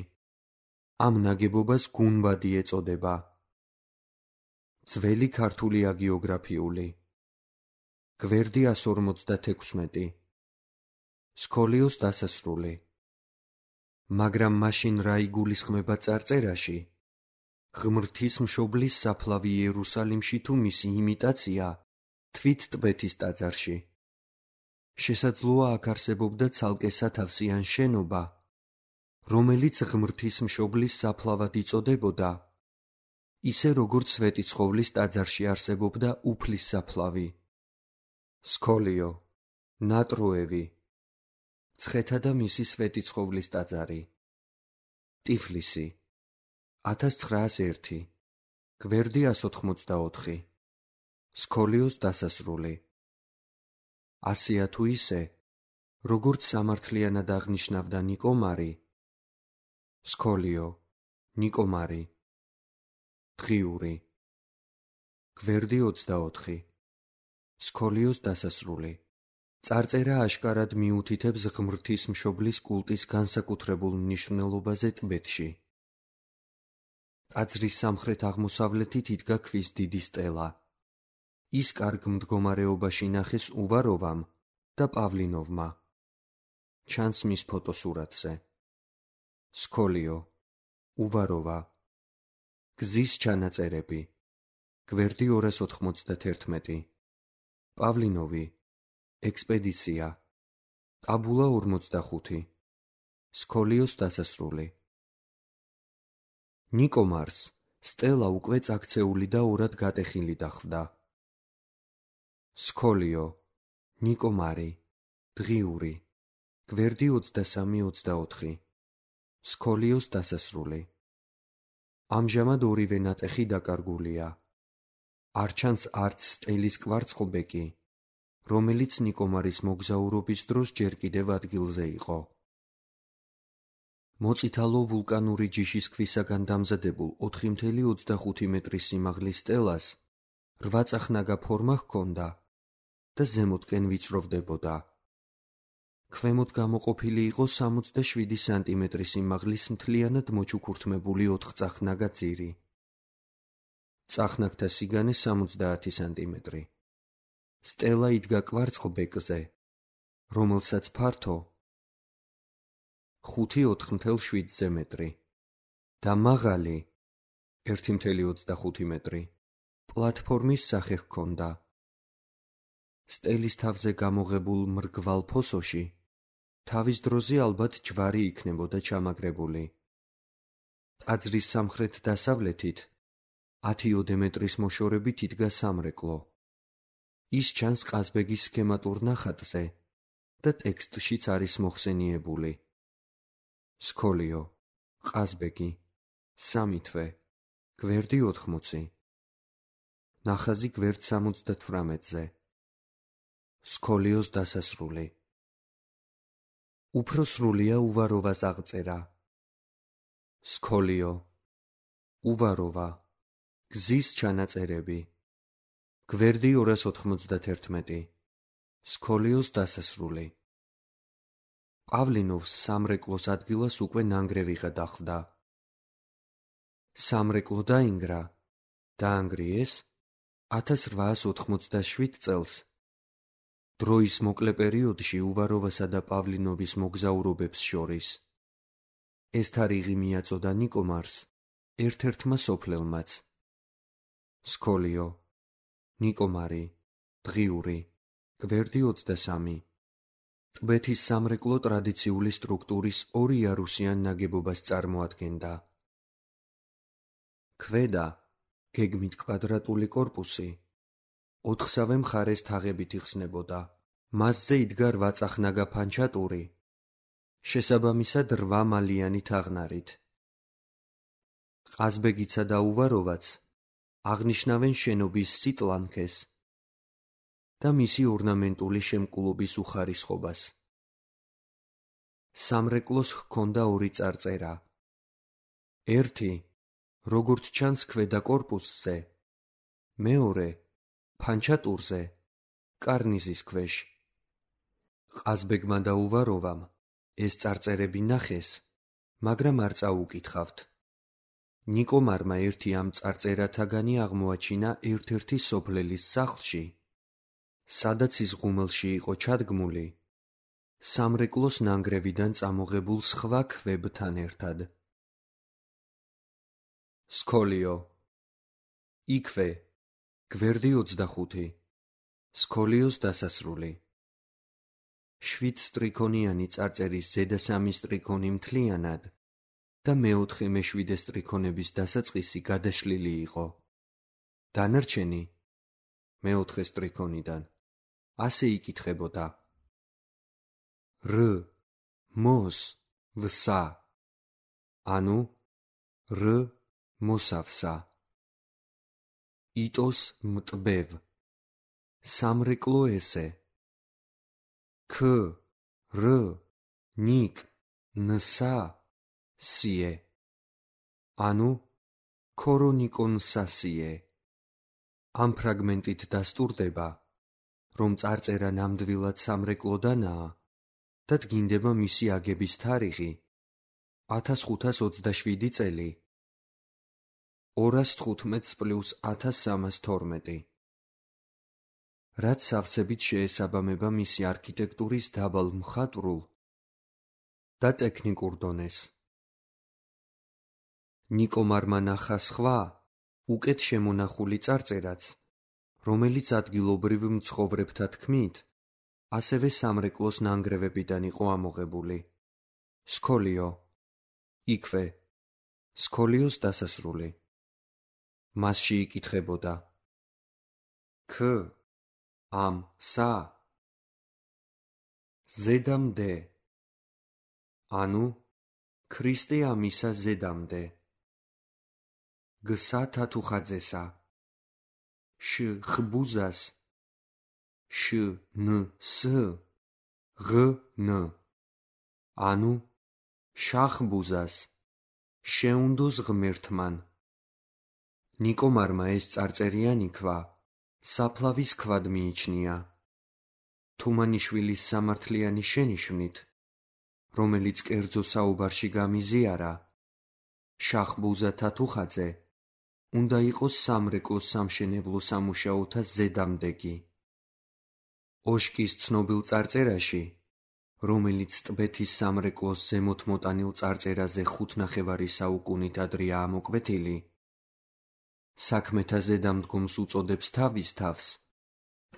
ამ ნაგებობას გუნბადი ეწოდება. ძველი ქართული აგიოგრაფიული. გვერდი ასორმოცდათექვსმეტი. სქოლიოს დასასრული. მაგრამ მაშინ რა იგულისხმება წარწერაში? ღმრთის მშობლის საფლავი იერუსალიმში თუ მისი იმიტაცია თვით ტბეთის ტაძარში? შესაძლოა აქ არსებობდა ცალკე სათავსიან შენობა, რომელიც ღმრთის მშობლის საფლავად იწოდებოდა, ისე როგორც სვეტიცხოვლის ტაძარში არსებობდა უფლის საფლავი. სქოლიო, ნატროევი, ცხეთა და მისი სვეტიცხოვლის ტაძარი. ტიფლისი. ათას ცხრაას ერთი. გვერდი ასოთხმოცდაოთხი. სქოლიოს დასასრული. ასეა თუ ისე, როგორც სამართლიანად აღნიშნავდა ნიკომარი. სქოლიო, ნიკომარი. დღიური. გვერდი ოცდაოთხი. სქოლიოს დასასრული. წარწერა აშკარად მიუთითებს ღმრთის მშობლის კულტის განსაკუთრებულ მნიშვნელობაზე ტბეთში. ტაძრის სამხრეთ-აღმოსავლეთით იდგა ქვის დიდი სტელა. ის კარგ მდგომარეობაში ნახეს უვაროვამ და პავლინოვმა. ჩანს მის ფოტოსურათზე. სქოლიო, უვაროვა. გზის ჩანაწერები. გვერდი ორას ოთხმოცდათერთმეტი. პავლინოვი. ექსპედიცია. ტაბულა ორმოცდახუთი. სქოლიოს დასასრული. ნიკომარს სტელა უკვე წაქცეული და ორად გატეხილი დახვდა. სქოლიო, ნიკომარი, დღიური. გვერდი ოცდასამი ოცდაოთხი. სქოლიოს დასასრული. ამჟამად ორივე ნატეხი დაკარგულია. არ ჩანს არც სტელის კვარცხლბეკი, რომელიც ნიკომარის მოგზაურობის დროს ჯერ კიდევ ადგილზე იყო. მოწითალო ვულკანური ჯიშის ქვისაგან დამზადებულ ოთხი ოცდაოთხი ოცდახუთი მეტრის სიმაღლის სტელას რვაწახნაგა ფორმა ჰქონდა და ზემოთკენ ვიწროვდებოდა. ქვემოთ გამოყოფილი იყო სამოცდაშვიდი სანტიმეტრის სიმაღლის მთლიანად მოჩუქურთმებული ოთხწახნაგა ძირი. წახნაგთა სიგანე სამოცდაათი სანტიმეტრი. სტელა იდგა კვარცხლბეკზე, რომელსაც ფართო ხუთი ოთხ-შვიდ მეტრი და მაღალი ერთი ოცდახუთი მეტრი პლატფორმის სახე ჰქონდა. სტელის თავზე გამოღებულ მრგვალ ფოსოში თავის დროზე ალბათ ჯვარი იქნებოდა ჩამაგრებული. ტაძრის სამხრეთ-დასავლეთით ათიოდე მეტრის მოშორებით იდგა სამრეკლო. ის ჩანს ყაზბეგის სქემატურ ნახატზე და ტექსტშიც არის მოხსენიებული. სქოლიო, ყაზბეგი, სამი თვე, გვერდი ოთხმოცი. ნახაზი გვერდ სამოცდათვრამეტზე. სქოლიოს დასასრული. უფრო სრულია უვაროვას აღწერა. სქოლიო, უვაროვა, გზის ჩანაწერები. გვერდი ორას ოთხმოცდათერთმეტი. სქოლიოს დასასრული. პავლინოვს სამრეკლოს ადგილას უკვე ნანგრევიღა დახვდა. სამრეკლო დაინგრა, დაანგრიეს ათას რვაას ოთხმოცდაშვიდ წელს. დროის მოკლე პერიოდში უვაროვასა და პავლინოვის მოგზაურობებს შორის. ეს თარიღი მიაწოდა ნიკომარს, ერთ-ერთმა სოფლელმაც. სქოლიო, ნიკომარი, დღიური, გვერდი ოცდასამი. ტბეთის სამრეკლო ტრადიციული სტრუქტურის ორი იარუსიან ნაგებობას წარმოადგენდა. ქვედა, გეგმით კვადრატული კორპუსი, ოთხსავე მხარეს თაღებით იხსნებოდა. მასზე იდგა რვაწახნაგა ფანჩატური, შესაბამისად რვამალიანი თაღნარით. ყაზბეგიცა და უვაროვაც აღნიშნავენ შენობის სიტლანქეს, და მისი ორნამენტული შემკულობის უხარისხობას. სამრეკლოს ჰქონდა ორი წარწერა. ერთი, როგორც ჩანს ქვედა კორპუსზე, მეორე, ფანჩატურზე, კარნიზის ქვეშ. ყაზბეგმა და უვაროვამ ეს წარწერები ნახეს, მაგრამ არ წაუკითხავთ. ნიკომარმა ერთი ამ წარწერათაგანი აღმოაჩინა ერთ-ერთი სოფლელის სახლში, სადაც ის ღუმელში იყო ჩადგმული, სამრეკლოს ნანგრევიდან წამოღებულ სხვა ქვებთან ერთად. სქოლიო. იქვე, გვერდი ოცდახუთი. სქოლიოს დასასრული. შვიდ სტრიქონიანი წარწერის ზედა სამი სტრიქონი მთლიანად და მეოთხე მეშვიდე სტრიქონების დასაწყისი გადაშლილი იყო. დანარჩენი მეოთხე სტრიქონიდან ასე იკითხებოდა: რ მოს ვსა, ანუ რ მოსავსა. იტოს მტბევ, სამრეკლო ესე. ქ რ ნიკ ნსა სიე, ანუ ქორონიკონსასიე. ამ ფრაგმენტით დასტურდება, რომ წარწერა ნამდვილად სამრეკლოდანაა და დგინდება მისი აგების თარიღი ათას ხუთას ოცდაშვიდი წელი, ორას თხუთმეტს პლუს ათას სამას თორმეტი. რაც სავსებით შეესაბამება მისი არქიტექტურის დაბალ მხატვრულ და ტექნიკურ დონეს. ნიკომარმა ნახა სხვა, უკეთ შემონახული წარწერაც, რომელიც ადგილობრივ მცხოვრებთა თქმით, ასევე სამრეკლოს ნანგრევებიდან იყო ამოღებული. სქოლიო. იქვე, სქოლიოს დასასრული. მასში იკითხებოდა: ქ ამ სა ზედამდე, ანუ ქრისტე ამისა ზედამდე. გსა თათუხაძესა, შ ხბუზას, შ ნ ს ღ ნ, ანუ შახბუზას შეუნდოს ღმერთმან. ნიკომარმა ეს წარწერიანი ქვა საფლავის ქვად მიიჩნია. თუმანიშვილის სამართლიანი შენიშვნით, რომელიც კერძო საუბარში გამიზიარა, შახბუზა თათუხაძე უნდა იყოს სამრეკლოს სამშენებლო სამუშაოთა ზედამდეგი. ოშკის ცნობილ წარწერაში, რომელიც ტბეთის სამრეკლოს ზემოთ მოტანილ წარწერაზე ხუთნახევარი საუკუნით ადრეა ამოკვეთილი, საქმეთა ზედამდგომს უწოდებს თავის თავს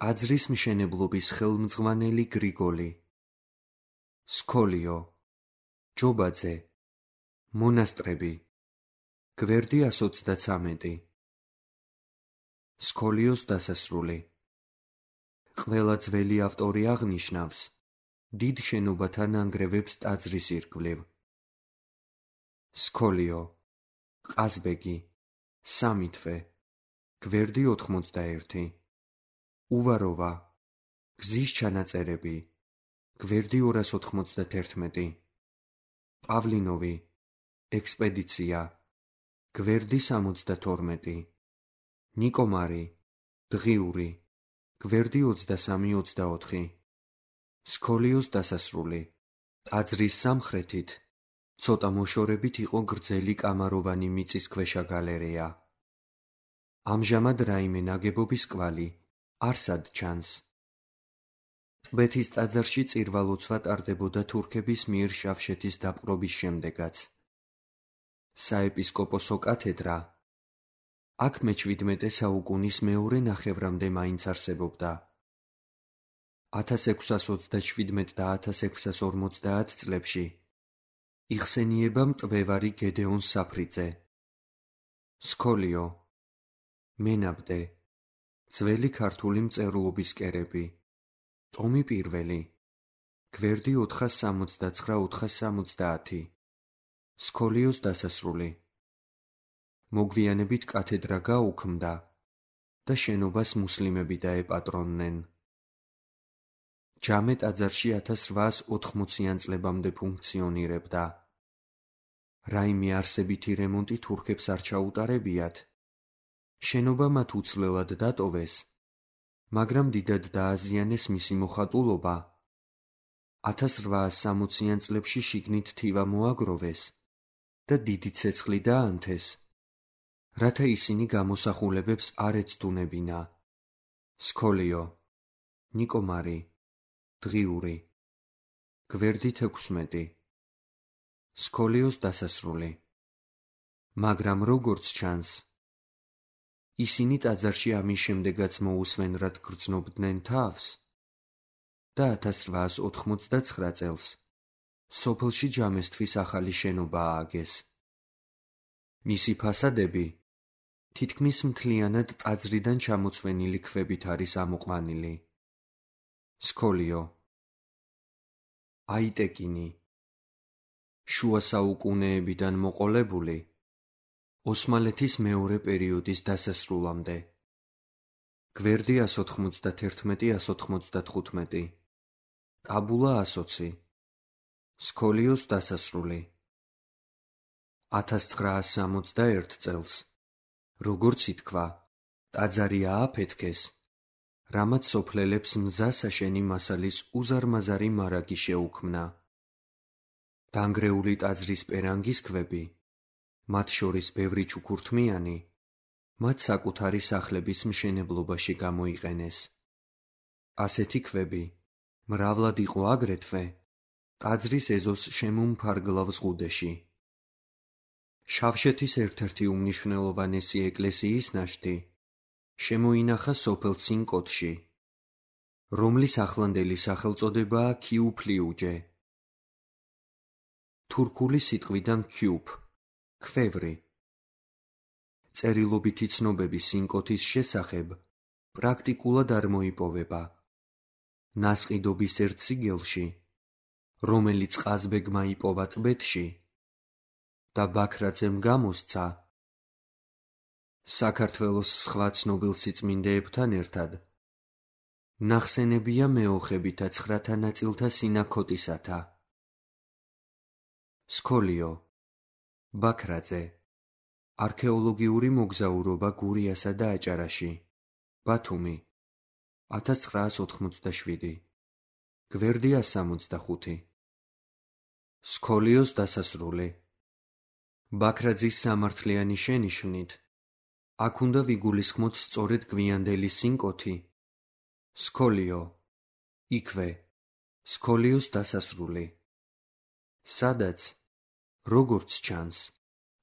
ტაძრის მშენებლობის ხელმძღვანელი გრიგოლი. სქოლიო. ჯობაძე. მონასტრები. გვერდი ას ოცდაცამეტი. სქოლიოს დასასრული. ყველა ძველი ავტორი აღნიშნავს დიდ შენობათა ნანგრევებს ტაძრის ირგვლივ. სქოლიო. ყაზბეგი. სამი თვე. გვერდი ოთხმოცდაერთი. უვაროვა. გზის ჩანაწერები. გვერდი ორას ოთხმოცდათერთმეტი. პავლინოვი. ექსპედიცია. გვერდი სამოცდათორმეტი. ნიკომარი. დღიური. გვერდი ოცდასამი ოცდაოთხი. სქოლიოს დასასრული. ტაძრის სამხრეთით ცოტა მოშორებით იყო გრძელი კამაროვანი მიწისქვეშა გალერეა. ამჟამად რაიმე ნაგებობის კვალი არსად ჩანს. ტბეთის ტაძარში წირვა-ლოცვა ტარდებოდა თურქების მიერ შავშეთის დაპყრობის შემდეგაც. საეპისკოპოსო კათედრა აქ მეჩვიდმეტე საუკუნის მეორე ნახევრამდე მაინც არსებობდა. ათას ექვსას ოცდაშვიდმეტ და ათას ექვსას ორმოცდაათ წლებში იხსენიება მტვევარი გედეონ საფრიძე. სქოლიო. მენაბდე. ძველი ქართული მწერლობის კერები. ტომი პირველი. გვერდი ოთხას სამოცდაცხრა ოთხას სამოცდაათი. სქოლიოს დასასრული. მოგვიანებით კათედრა გაუქმდა და შენობას მუსლიმები დაეპატრონნენ. ჯამე ტაძარში ათას რვაას ოთხმოციან წლებამდე ფუნქციონირებდა. რაიმე არსებითი რემონტი თურქებს არ ჩაუტარებიათ. შენობა მათ უცვლელად დატოვეს, მაგრამ დიდად დააზიანეს მისი მოხატულობა. ათას რვაას სამოციან წლებში შიგნით თივა მოაგროვეს და დიდი ცეცხლი დაანთეს, რათა ისინი გამოსახულებებს არ ეცდუნებინა. სქოლიო, ნიკომარი, დღიური, გვერდით ექვსმეტი. სქოლიოს დასასრული. მაგრამ როგორც ჩანს, ისინი ტაძარში ამის შემდეგაც მოусვენ რად გრძნობდნენ თავს და ათას რვაას ოთხმოცდაცხრა წელს სოფელში ჯამესთვის ახალი შენობა ააგეს. მისი ფასადები თითქმის მთლიანად ტაძრიდან ჩამოცვენილი ქვებით არის ამოყვანილი. სქოლიო, აიტეკინი, შუა საუკუნეებიდან მოყოლებული, ოსმალეთის მეორე პერიოდის დასასრულამდე. გვერდი ას ოთხმოცდათერთმეტი ას ოთხმოცდათხუთმეტი. ტაბულა ასოცი. სქოლიოს დასასრული. ათას ცხრაას სამოცდაერთ წელს, როგორც ითქვა, ტაძარი ააფეთქეს, რამაც სოფლელებს მზა-საშენი მასალის უზარმაზარი მარაგი შეუქმნა. დანგრეული ტაძრის პერანგის ქვები, მათ შორის ბევრი ჩუქურთმიანი, მათ საკუთარი სახლების მშენებლობაში გამოიყენეს. ასეთი ქვები მრავლად იყო აგრეთვე ტაძრის ეზოს შემომფარგლავ ზღუდეში. შავშეთის ერთ-ერთი უმნიშვნელოვანესი ეკლესიის ნაშთი შემოინახა სოფელ სინკოტში, რომლის ახლანდელი სახელწოდებაა ქიუფლიუჯე. თურქული სიტყვიდან ქიუფ, ქვევრი. წერილობითი ცნობები სინკოთის შესახებ პრაქტიკულად არ მოიპოვება. ნასყიდობის ერთ სიგელში, რომელიც ყაზბეგმა იპოვა ტბეთში და ბაქრაძემ გამოსცა, საქართველოს სხვა ცნობილ სიწმინდეებთან ერთად ნახსენებია მეოხებითა ცხრათა ნაწილთა სინაქოტისათა. სქოლიო, ბაქრაძე, არქეოლოგიური მოგზაურობა გურიასა და აჭარაში, ბათუმი, ათას ცხრაას ოთხმოცდაშვიდი. გვერდი ას სამოცდახუთი. სქოლიოს დასასრული. ბაქრაძის სამართლიანი შენიშვნით, აქ უნდა ვიგულისხმოთ სწორედ გვიანდელი სინკოთი. სქოლიო, იქვე, სქოლიოს დასასრული. სადაც, როგორც ჩანს,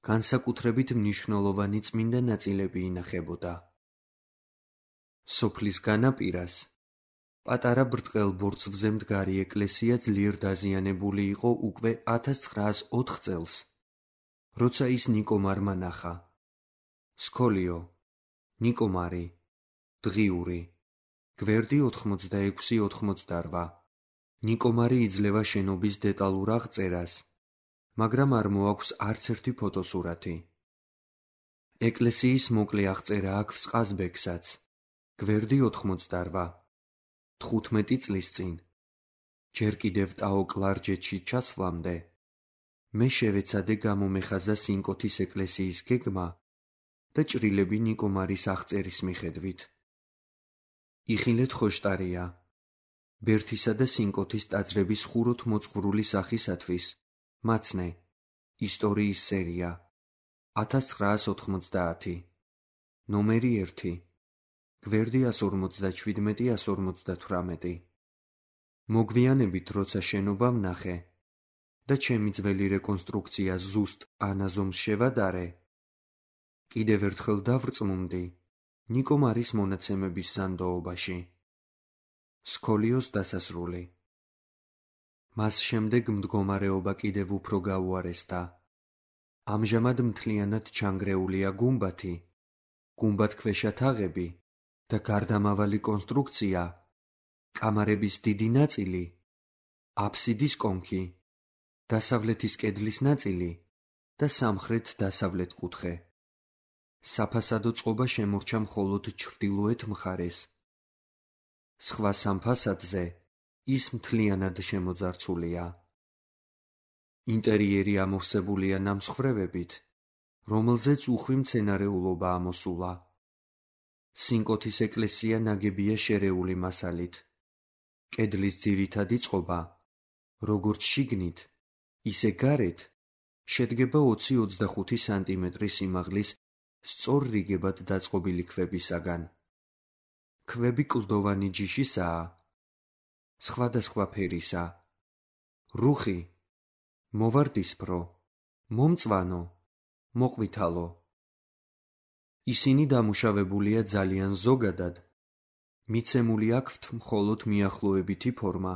განსაკუთრებით მნიშვნელოვანი წმინდა ნაწილები ინახებოდა. სოფლის განაპირას პატარა ბრტყელ ბორცვზე მდგარი ეკლესია ძლიერ დაზიანებული იყო უკვე ათას ცხრაას ოთხ წელს, როცა ის ნიკომარმა ნახა. სქოლიო, ნიკომარი, დღიური, გვერდი ოთხმოცდაექვსი ოთხმოცდარვა. ნიკომარი იძლევა შენობის დეტალურ აღწერას, მაგრამ არ მოაქვს არც ერთი ფოტოსურათი. ეკლესიის მოკლე აღწერა აქვს ყაზბეგსაც, გვერდი ოთხმოცდარვა. თხუთმეტი წლის წინ, ჯერ კიდევ ტაო კლარჯეთში ჩასვლამდე, მე შევეცადე გამომეხაზა სინკოთის ეკლესიის გეგმა და ჭრილები ნიკომარის აღწერის მიხედვით. იხილეთ ხოშტარია, ბერთისა და სინკოთის ტაძრების ხუროთ მოწყვრული სახისათვის, მაცნე, ისტორიის სერია, ათას ცხრაას ოთხმოცდაათი. ნომერი ერთი. გვერდი ას ორმოცდაჩვიდმეტი ას ორმოცდათვრამეტი. მოგვიანებით, როცა შენობა ვნახე და ჩემი ძველი რეკონსტრუქცია ზუსტ ანაზომს შევადარე, კიდევ ერთხელ დავრწმუნდი ნიკომარის მონაცემების ზანდოობაში. სქოლიოს დასასრული. მას შემდეგ მდგომარეობა კიდევ უფრო გაუარესდა. ამჟამად მთლიანად ჩანგრეულია გუმბათი, გუმბათქვეშა თაღები და გარდამავალი კონსტრუქცია, კამარების დიდი ნაწილი, აფსიდის კონქი, დასავლეთის კედლის ნაწილი და სამხრეთ-დასავლეთ კუთხე. საფასადო წყობა შემორჩა მხოლოდ ჩრდილოეთ მხარეს. სხვა სამ ფასადზე ის მთლიანად შემოძარცულია. ინტერიერი ამოვსებულია ნამსხვრევებით, რომელზეც უხვი მცენარეულობა ამოსულა. სინკოთის ეკლესია ნაგებია შერეული მასალით. კედლის ძირითადი წყობა, როგორც შიგნით, ისე გარეთ, შედგება ოცი-ოცდახუთი სანტიმეტრის სიმაღლის სწორ რიგებად დაწყობილი ქვებისაგან. ქვები კლდოვანი ჯიშისაა, სხვადასხვა ფერისა, რუხი, მოვარდისფრო, მომწვანო, მოყვითალო. ისინი დამუშავებულია ძალიან ზოგადად, მიცემული აქვთ მხოლოდ მიახლოებითი ფორმა,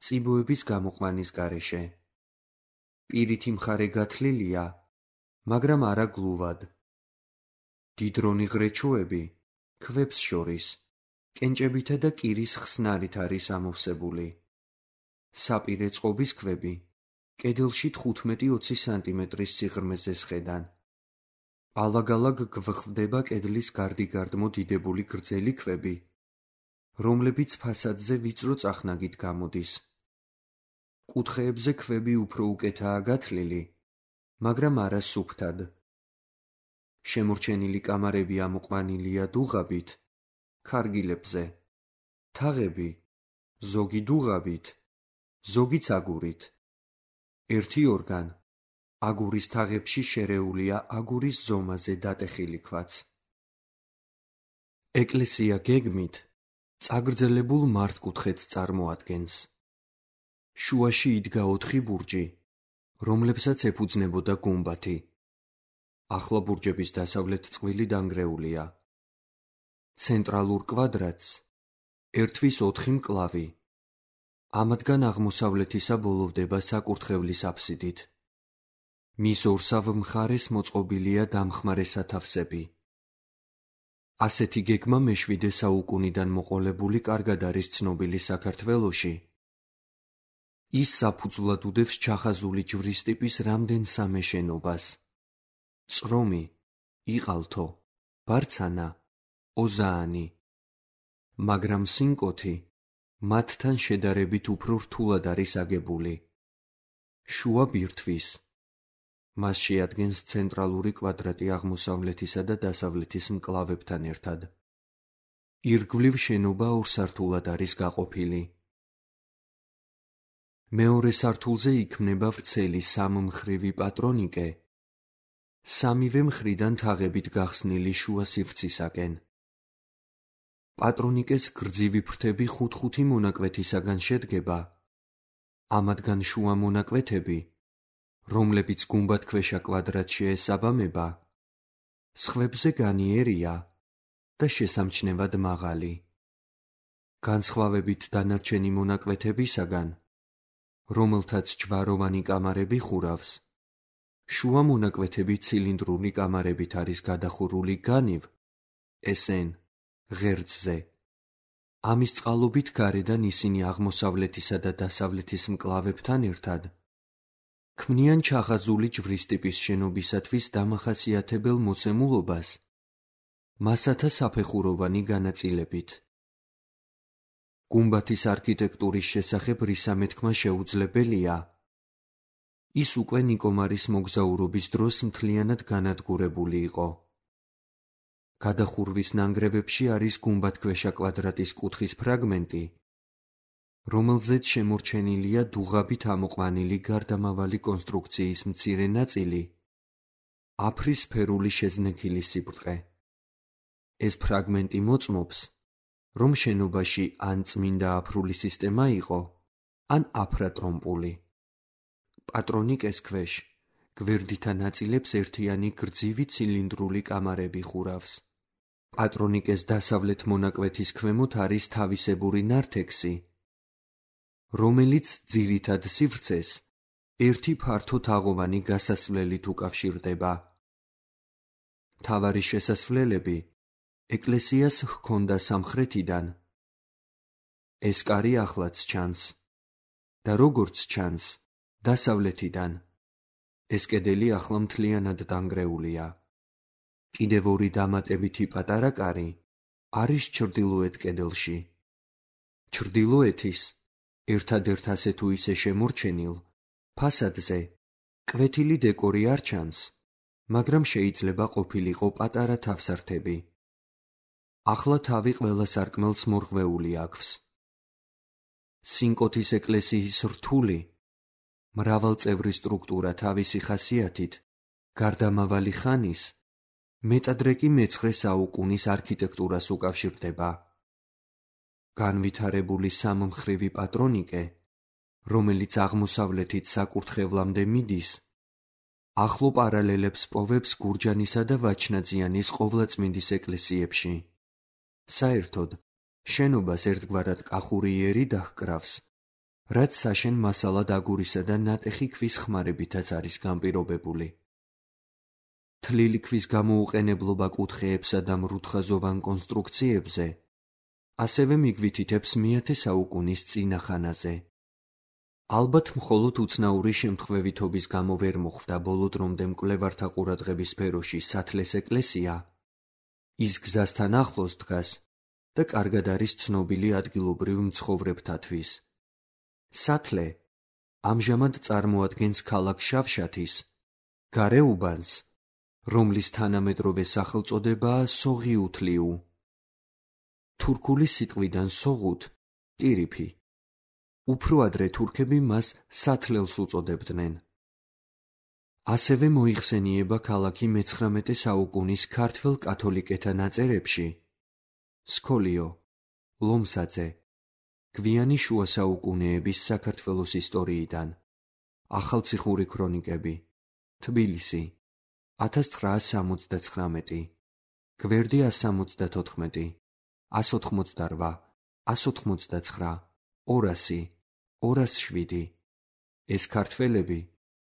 წიბოების გამოყვანის გარეშე. პირითი მხარე გათლილია, მაგრამ არა გლუვად. დიდრონი ღრეჩოები, ქვებს შორის, კენჭებითა და კირის ხსნარით არის ამოვსებული. საპირე წყობის ქვები, კედელში თხუთმეტი-ოცი სანტიმეტრის სიღრმეზე სხედან. ალაგ-ალაგ გვხვდება კედლის გარდიგარდმო დიდებული გრძელი ქვები, რომლებიც ფასადზე ვიწრო წახნაგით გამოდის. კუთხეებზე ქვები უფრო უკეთაა გათლილი, მაგრამ არა სუფთად. შემორჩენილი კამარები ამოყვანილია დუღაბით, ქარგილებზე, თაღები, ზოგი დუღაბით, ზოგიც აგურით. ერთი ორგან, აგურის თაღებში შერეულია აგურის ზომაზე დატეხილი ქვაც. ეკლესია გეგმით წაგრძელებულ მართკუთხედს წარმოადგენს. შუაში იდგა ოთხი ბურჯი, რომლებსაც ეფუძნებოდა გუმბათი. ახლა ბურჯების დასავლეთ წყვილი დანგრეულია. ცენტრალურ კვადრატს ერთვის ოთხი მკლავი. ამათგან აღმოსავლეთისა ბოლოვდება საკურთხევლის აფსიდით. მის ორსავ მხარეს მოწყობილია დამხმარე სათავსები. ასეთი გეგმა მეშვიდე საუკუნიდან მოყოლებული კარგად არის ცნობილი საქართველოში. ის საფუძვლად უდევს ჩახაზული ჯვრის ტიპის რამდენსამე შენობას. წრომი, იყალთო, ბარცანა, ოზაანი. მაგრამ სინკოთი მათთან შედარებით უფრო რთულად არის აგებული. შუა ბირთვის. მას შეადგენს ცენტრალური კვადრატი აღმოსავლეთისა და დასავლეთის მკლავებთან ერთად. ირგვლივ შენობა ორ სართულად არის გაყოფილი. მეორე სართულზე იქმნება ვრცელი სამმხრივი პატრონიკე, სამივე მხრიდან თაღებით გახსნილი შუა სივრცისაკენ. პატრონიკეს გრძივი ფრთები ხუთ-ხუთი მონაკვეთისაგან შედგება. ამათგან შუა მონაკვეთები, რომლებიც გუმბათქვეშა კვადრატში ესაბამება, სხვებზე განიერია და შესამჩნევად მაღალი. განსხვავებით დანარჩენი მონაკვეთებისაგან, რომელთაც ჯვაროვანი კამარები ხურავს, შუა მონაკვეთები ცილინდრული კამარებით არის გადახურული განივ, ესენ, ღერძზე. ამის წყალობით გარედან ისინი აღმოსავლეთისა და დასავლეთის მკლავებთან ერთად ქმნიან ჩახაზული ჯვრის ტიპის შენობისათვის დამახასიათებელ მოცემულობას მასათა საფეხუროვანი განაწილებით. გუმბათის არქიტექტურის შესახებ რისა მეთქმა შეუძლებელია. ის უკვე ნიკომარის მოგზაურობის დროს მთლიანად განადგურებული იყო. გადახურვის ნანგრევებში არის გუმბათქვეშა კვადრატის კუთხის ფრაგმენტი, რომელზეც შემორჩენილია დუღაბით ამოყვანილი გარდამავალი კონსტრუქციის მცირე ნაწილი, აფრის სფერული შეზნექილი სიბრტყე. ეს ფრაგმენტი მოწმობს, რომ შენობაში ან წმინდა აფრული სისტემა იყო, ან აფრატრომპული. პატრონიკეს ქვეშ გვერდითა ნაწილებს ერთიანი გრძივი ცილინდრული კამარები ხურავს. პატრონიკეს დასავლეთ მონაკვეთის ქვემოთ არის თავისებური ნართექსი, რომელიც ძირითად სივრცეს ერთი ფართო თაღოვანი გასასვლელით უკავშირდება. მთავარი შესასვლელები ეკლესიას ჰქონდა სამხრეთიდან. ეს კარი ახლაც ჩანს და როგორც ჩანს, დასავლეთიდან. ეს კედელი ახლა მთლიანად დანგრეულია. კიდევ ორი დამატებითი პატარა კარი არის ჩრდილოეთ კედელში. ჩრდილოეთის ერთადერთ ასე თუ ისე შემორჩენილ, ფასადზე კვეთილი დეკორი არ ჩანს, მაგრამ შეიძლება ყოფილიყო პატარა თავსართები. ახლა თავი ყველა სარკმელს მორღვეული აქვს. სინკოთის ეკლესიის რთული, მრავალწევრი სტრუქტურა თავისი ხასიათით, გარდამავალი ხანის, მეტადრე კი მეცხრე საუკუნის არქიტექტურას უკავშირდება. განვითარებული სამმხრივი პატრონიკე, რომელიც აღმოსავლეთით საკურთხევლამდე მიდის, ახლო პარალელებს პოვებს გურჯანისა და ვაჩნაძიანის ყოვლადწმინდის ეკლესიებში. საერთოდ, შენობას ერთგვარად კახურიერი დაჰკრავს, რაც საშენ მასალად აგურისა და ნატეხი ქვის ხმარებითაც არის განპირობებული. თლილი ქვის გამოუყენებლობა კუთხეებსა და მრუდხაზოვან კონსტრუქციებზე ასევე მიგვითითებს მეათე საუკუნის წინა ხანაზე. ალბათ მხოლოდ უცნაური შემთხვევითობის გამო ვერ მოხვდა ბოლო დრომდე მკვლევართა ყურადღების სფეროში სათლეს ეკლესია, ის გზასთან ახლოს დგას და კარგად არის ცნობილი ადგილობრივ მცხოვრებთათვის. სათლე ამჟამად წარმოადგენს ქალაქ შავშათის გარეუბანს, რომლის თანამედროვე სახელწოდებაა სოღიუთლიუ. თურქული სიტყვიდან სოღუთ ტირიფი. უფრო ადრე თურქები მას სათლელს უწოდებდნენ. ასევე მოიხსენიება ქალაქი მეცხრამეტე საუკუნის ქართველ კათოლიკეთა ნაწერებში. სკოლიო, ლომსაძე, გვიანი შუა საუკუნეების საქართველოს ისტორიიდან, ახალციხური ქრონიკები, თბილისი, ათას ცხრაას სამოცდაცხრამეტი, გვერდი ას სამოცდათოთხმეტი, ას ოთხმოცდარვა, ას ოთხმოცდაცხრა, ორასი, ორასი შვიდი. ეს ქართველები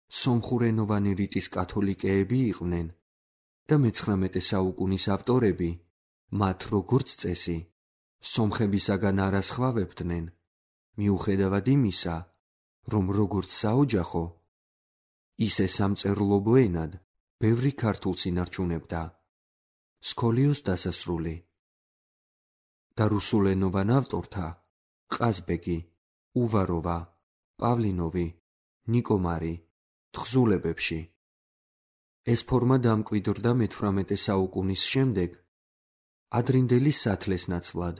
სომხურენოვანი რიტის კათოლიკეები იყვნენ და მეცხრამეტე საუკუნის ავტორები მათ როგორც წესი სომხებისაგან არ ასხვავებდნენ, მიუხედავად იმისა, რომ როგორც საოჯახო, ისე სამწერლობო ენად ბევრი ქართულს ინარჩუნებდა. სკოლიოს დასასრული და რუსულენოვან ავტორთა ყაზბეგი, უვაროვა, პავლინოვი, ნიკომარი, თხზულებებში. ეს ფორმა დამკვიდრდა მეთვრამეტე საუკუნის შემდეგ ადრინდელი სათლეს ნაცვლად.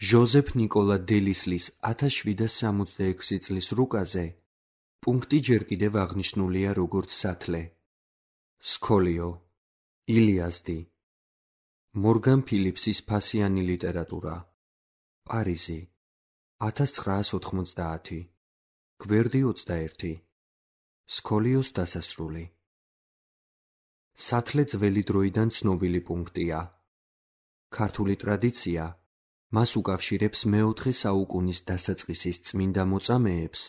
ჟოზეფ ნიკოლა დელისლის ათას შვიდას სამოცდაექვსი წლის რუკაზე პუნქტი ჯერ კიდევ აღნიშნულია როგორც სათლე. სკოლიო, ილიაზდი, მორგან ფილიპსის ფასიანი ლიტერატურა, პარიზი, ათას ცხრაას ოთხმოცდაათი, გვერდი ოცდაერთი. სკოლიოს დასასრული. სათლე ძველი დროიდან ცნობილი პუნქტია. ქართული ტრადიცია მას უკავშირებს მეოთხე საუკუნის დასაწყისის წმინდა მოწამეებს,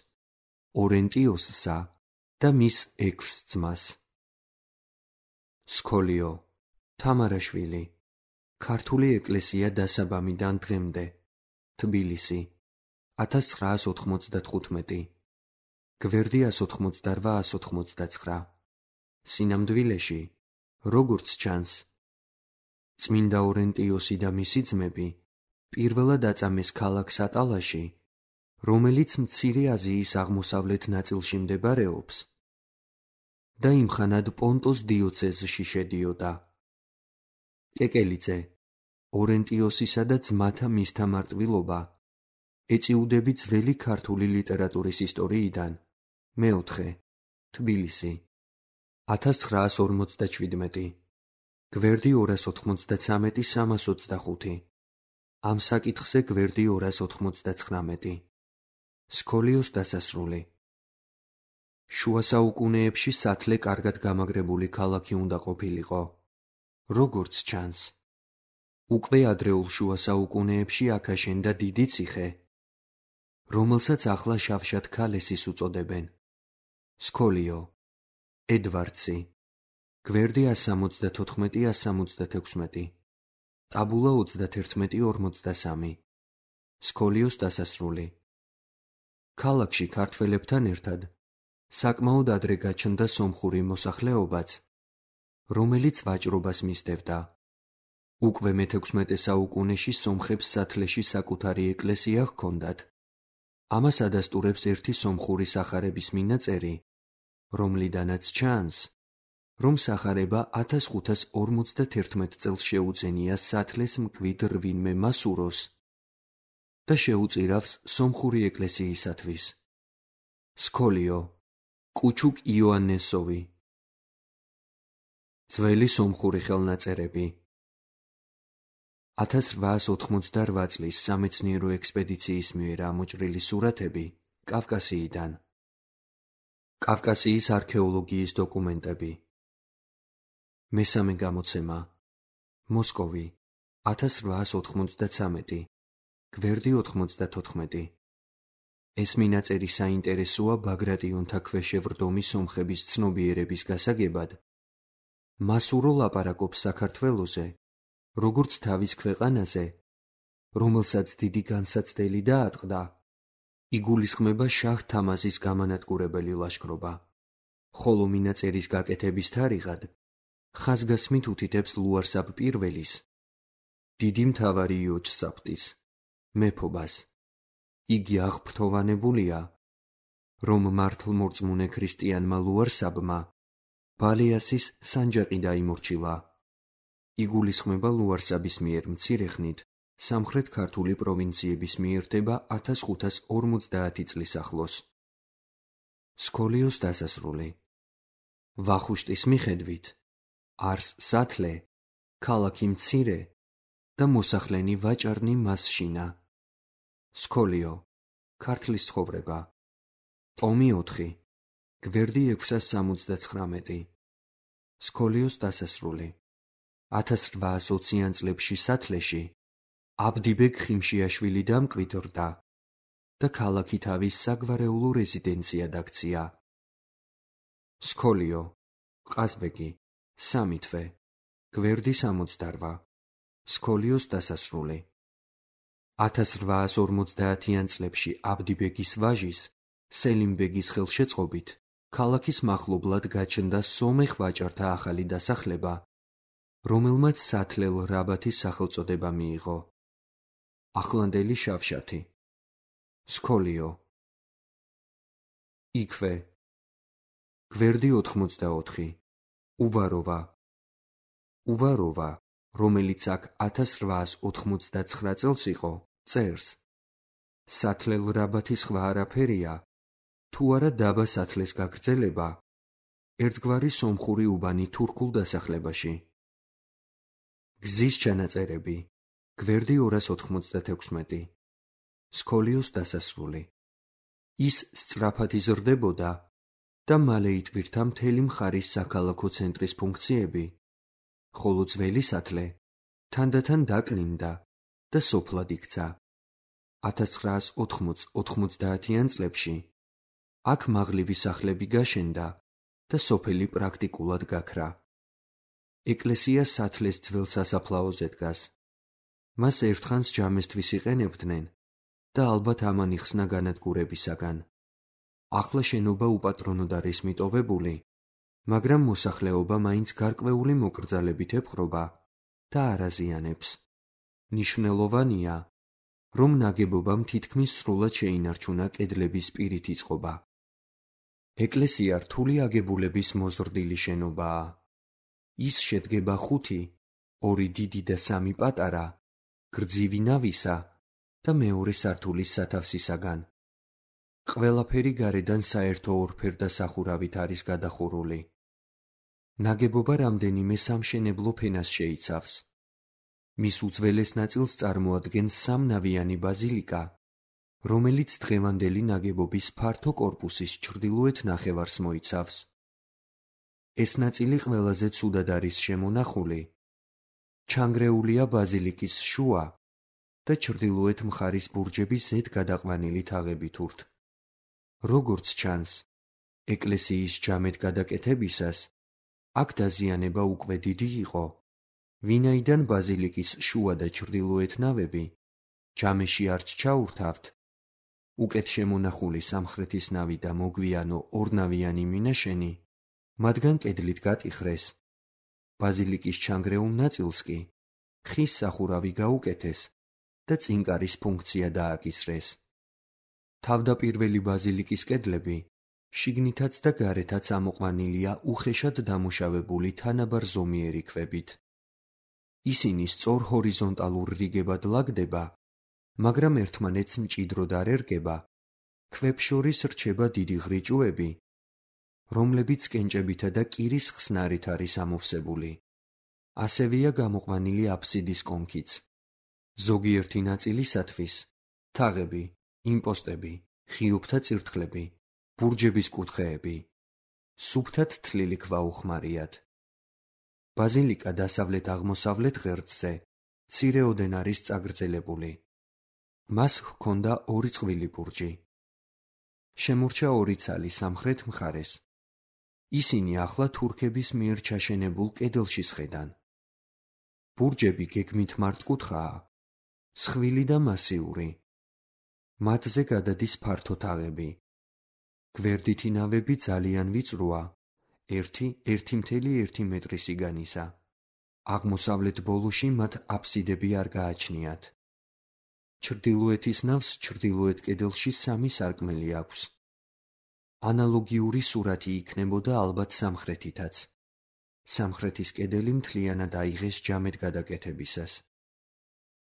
ორენტიოსსა და მის ექვს ძმას. სკოლიო, თამარაშვილი, ქართული ეკლესია დასაბამიდან დღემდე, თბილისი, ათას ცხრაას ოთხმოცდათხუთმეტი, გვერდი ას ოთხმოცდარვა ას ოთხმოცდაცხრა. სინამდვილეში, როგორც ჩანს, წმინდა ორენტიოსი და მისი ძმები პირველად აწამეს ქალაქს ატალაში, რომელიც მცირე აზიის აღმოსავლეთ ნაწილში მდებარეობს და იმხანად პონტოს დიოცეზში შედიოდა. კეკელიძე, ორენტიოსისა და ძმათა მისთა მარტვილობა ეწიუდები ძველი ქართული ლიტერატურის ისტორიიდან. მეოთხე, თბილისი, ათას ცხრაას ორმოცდაჩვიდმეტი, გვერდი ორას ოთხმოცდაცამეტი სამას ოცდახუთი. ამ საკითხზე გვერდი ორას ოთხმოცდაცხრამეტი. სკოლიოს დასასრული. შუა საუკუნეებში სათლე კარგად გამაგრებული ქალაქი უნდა ყოფილიყო. როგორც ჩანს, უკვე ადრეულ შუა საუკუნეებში აქ აშენდა დიდი ციხე, რომელსაც ახლა შავშათ-ქალესის უწოდებენ. სკოლიო, ედვარდსი, გვერდი ას სამოცდათოთხმეტი ას სამოცდათექვსმეტი, ტაბულა ოცდათერთმეტი ორმოცდასამი. სკოლიოს დასასრული. ქალაქში ქართველებთან ერთად საკმაოდ ადრე გაჩნდა სომხური მოსახლეობაც, რომელიც ვაჭრობას მისდევდა. უკვე მეთექვსმეტე საუკუნეში სომხებს სათლეში საკუთარი ეკლესია ჰქონდათ ამას ადასტურებს ერთი სომხური სახარების მინაწერი, რომლიდანაც ჩანს, რომ სახარება ათას ხუთას ორმოცდათერთმეტ წელს შეუძენია სათლეს მკვიდრ რვინმე მასუროს და შეუწირავს სომხური ეკლესიისათვის. სქოლიო, კუჩუკ იოანესოვი. ძველი სომხური ხელნაწერები. ათას რვაას ოთხმოცდარვა წლის სამეცნიერო ექსპედიციის მიერ ამოჭრილი სურათები კავკასიიდან. კავკასიის არქეოლოგიის დოკუმენტები. მესამე გამოცემა. მოსკოვი, ათას რვაას ოთხმოცდათრამეტი, გვერდი ოთხმოცდათოთხმეტი. ეს მინაწერი საინტერესოა ბაგრატიონთა ქვეშევრდომი სომხების ცნობიერების გასაგებად. მასურო ლაპარაკობს საქართველოზე, როგორც თავის ქვეყანაზე, რომელსაც დიდი განსაცდელი დაატყდა, იგულისხმება შაჰ თამაზის გამანადგურებელი ლაშქრობა, ხოლო მინაწერის გაკეთების თარიღად ხაზგასმით უთითებს ლუარსაბ პირველის, დიდი მთავარი იოჯსაფტის, მეფობას. იგი აღფრთოვანებულია, რომ მართლმორწმუნე ქრისტიანმა ლუარსაბმა ბალეასის სანჯაყი დაიმორჩილა. იგულისხმება ლუარსაბის მიერ მცირე ხნით სამხრეთ ქართული პროვინციების მიერთება ათას ხუთას ორმოცდაათი წლის ახლოს. სქოლიოს დასასრული. ვახუშტის მიხედვით, არს სათლე, ქალაქი მცირე და მოსახლენი ვაჭარნი მასშინა. სქოლიო, ქართლის ცხოვრება. ტომი ოთხი, გვერდი ექვსას სამოცდაცხრამეტი. სქოლიოს დასასრული. ათას რვაას ოციან წლებში სათლეში აბდიბეგ ხიმშიაშვილი დამკვიდრდა და ქალაქი თავის საგვარეულო რეზიდენციად აქცია. სქოლიო, ყაზბეგი, სამი თვე, გვერდი სამოცდარვა. სქოლიოს დასასრული. ათას რვაას ორმოცდაათიან წლებში აბდიბეგის ვაჟის, სელიმბეგის ხელშეწყობით, ქალაქის მახლობლად გაჩნდა სომეხ ვაჭართა ახალი დასახლება, რომელმაც სათლელ რაბათის სახელწოდება მიიღო. ახლანდელი შავშათი. სქოლიო. იქვე. გვერდი ოთხმოცდაოთხი. უვაროვა. უვაროვა, რომელიც აქ ათას რვაას ოთხმოცდაცხრა წელს იყო, წერს. სათლელ რაბათის სხვა არაფერია, თუ არა დაბა სათლეს გაგრძელება, ერთგვარი სომხური უბანი თურქულ დასახლებაში. გზის ჩანაწერები. გვერდი ორას ოთხმოცდათექვსმეტი. სქოლიოს დასასრული. ის სწრაფად იზრდებოდა და მალე იტვირთა მთელი მხარის საქალაქო ცენტრის ფუნქციები, ხოლო ძველი სათლე თანდათან დაკლინდა და სოფლად იქცა. ათას ცხრაას ოთხმოც ოთხმოცდაათიან წლებში აქ მაღლივი სახლები გაშენდა და სოფელი პრაქტიკულად გაქრა. ეკლესია სათლეს ძველ სასაფლაოზე დგას. მას ერთხანს ჯამესთვის იყენებდნენ და ალბათ ამან იხსნა განადგურებისაგან. ახლა შენობა უპატრონოდ არის მიტოვებული, მაგრამ მოსახლეობა მაინც გარკვეული მოკრძალებით ეპყრობა და არ აზიანებს. მნიშვნელოვანია, რომ ნაგებობამ თითქმის სრულად შეინარჩუნა კედლების პირითი წყობა. ეკლესია რთული აგებულების მოზრდილი შენობაა. ის შედგება ხუთი, ორი დიდი და სამი პატარა, გრძივი ნავისა და მეორე სართულის სათავსისაგან. ყველაფერი გარედან საერთო ორფერდა სახურავით არის გადახურული. ნაგებობა რამდენიმე სამშენებლო ფენას შეიცავს. მის უძველეს ნაწილს წარმოადგენს სამნავიანი ბაზილიკა, რომელიც დღევანდელი ნაგებობის ფართო კორპუსის ჩრდილოეთ ნახევარს მოიცავს. ეს ნაწილი ყველაზე ცუდად არის შემონახული. ჩანგრეულია ბაზილიკის შუა და ჩრდილოეთ მხარის ბურჯების ზედ გადაყვანილი თაღებით ურთ. როგორც ჩანს, ეკლესიის ჯამედ გადაკეთებისას აქ დაზიანება უკვე დიდი იყო, ვინაიდან ბაზილიკის შუა და ჩრდილოეთ ნავები ჯამეში არც ჩაურთავთ. უკეთ შემონახული სამხრეთის ნავი და მოგვიანო ორნავიანი მინაშენი მათგან კედლით გატიხრეს. ბაზილიკის ჩანგრეულ ნაწილს კი ხის სახურავი გაუკეთეს და წინკარის ფუნქცია დააკისრეს. თავდაპირველი ბაზილიკის კედლები შიგნითაც და გარეთაც ამოყვანილია უხეშად დამუშავებული თანაბარ ზომიერი ქვებით. ისინი სწორ ჰორიზონტალურ რიგებად ლაგდება, მაგრამ ერთმანეთს მჭიდროდ არ ერგება, ქვებს შორის რჩება დიდი ღრიჭუები, რომლებიც კენჭებითა და კირის ხსნარით არის ამოვსებული. ასევეა გამოყვანილი აფსიდის კონქიც. ზოგიერთი ნაწილისათვის თაღები, იმპოსტები, ღიობთა წირთხლები, ბურჯების კუთხეები, სუფთად თლილი ქვა უხმარიათ. ბაზილიკა დასავლეთ-აღმოსავლეთ ღერძზე მცირეოდენ არის წაგრძელებული. მას ჰქონდა ორი წყვილი ბურჯი. შემორჩა ორი ცალი სამხრეთ მხარეს. ისინი ახლა თურქების მიერ ჩაშენებულ კედელში სხედან. ბურჯები გეგმით მართკუთხაა, მსხვილი და მასიური. მათზე გადადის ფართო თაღები. გვერდითი ნავები ძალიან ვიწროა, ერთი ერთი მთელი ერთი მეტრი სიგანისა. აღმოსავლეთ ბოლოში მათ აფსიდები არ გააჩნიათ. ჩრდილოეთის ნავს ჩრდილოეთ კედელში სამი სარკმელი აქვს. ანალოგიური სურათი იქნებოდა ალბათ სამხრეთითაც. სამხრეთის კედელი მთლიანად აიღეს ჯამედ გადაკეთებისას.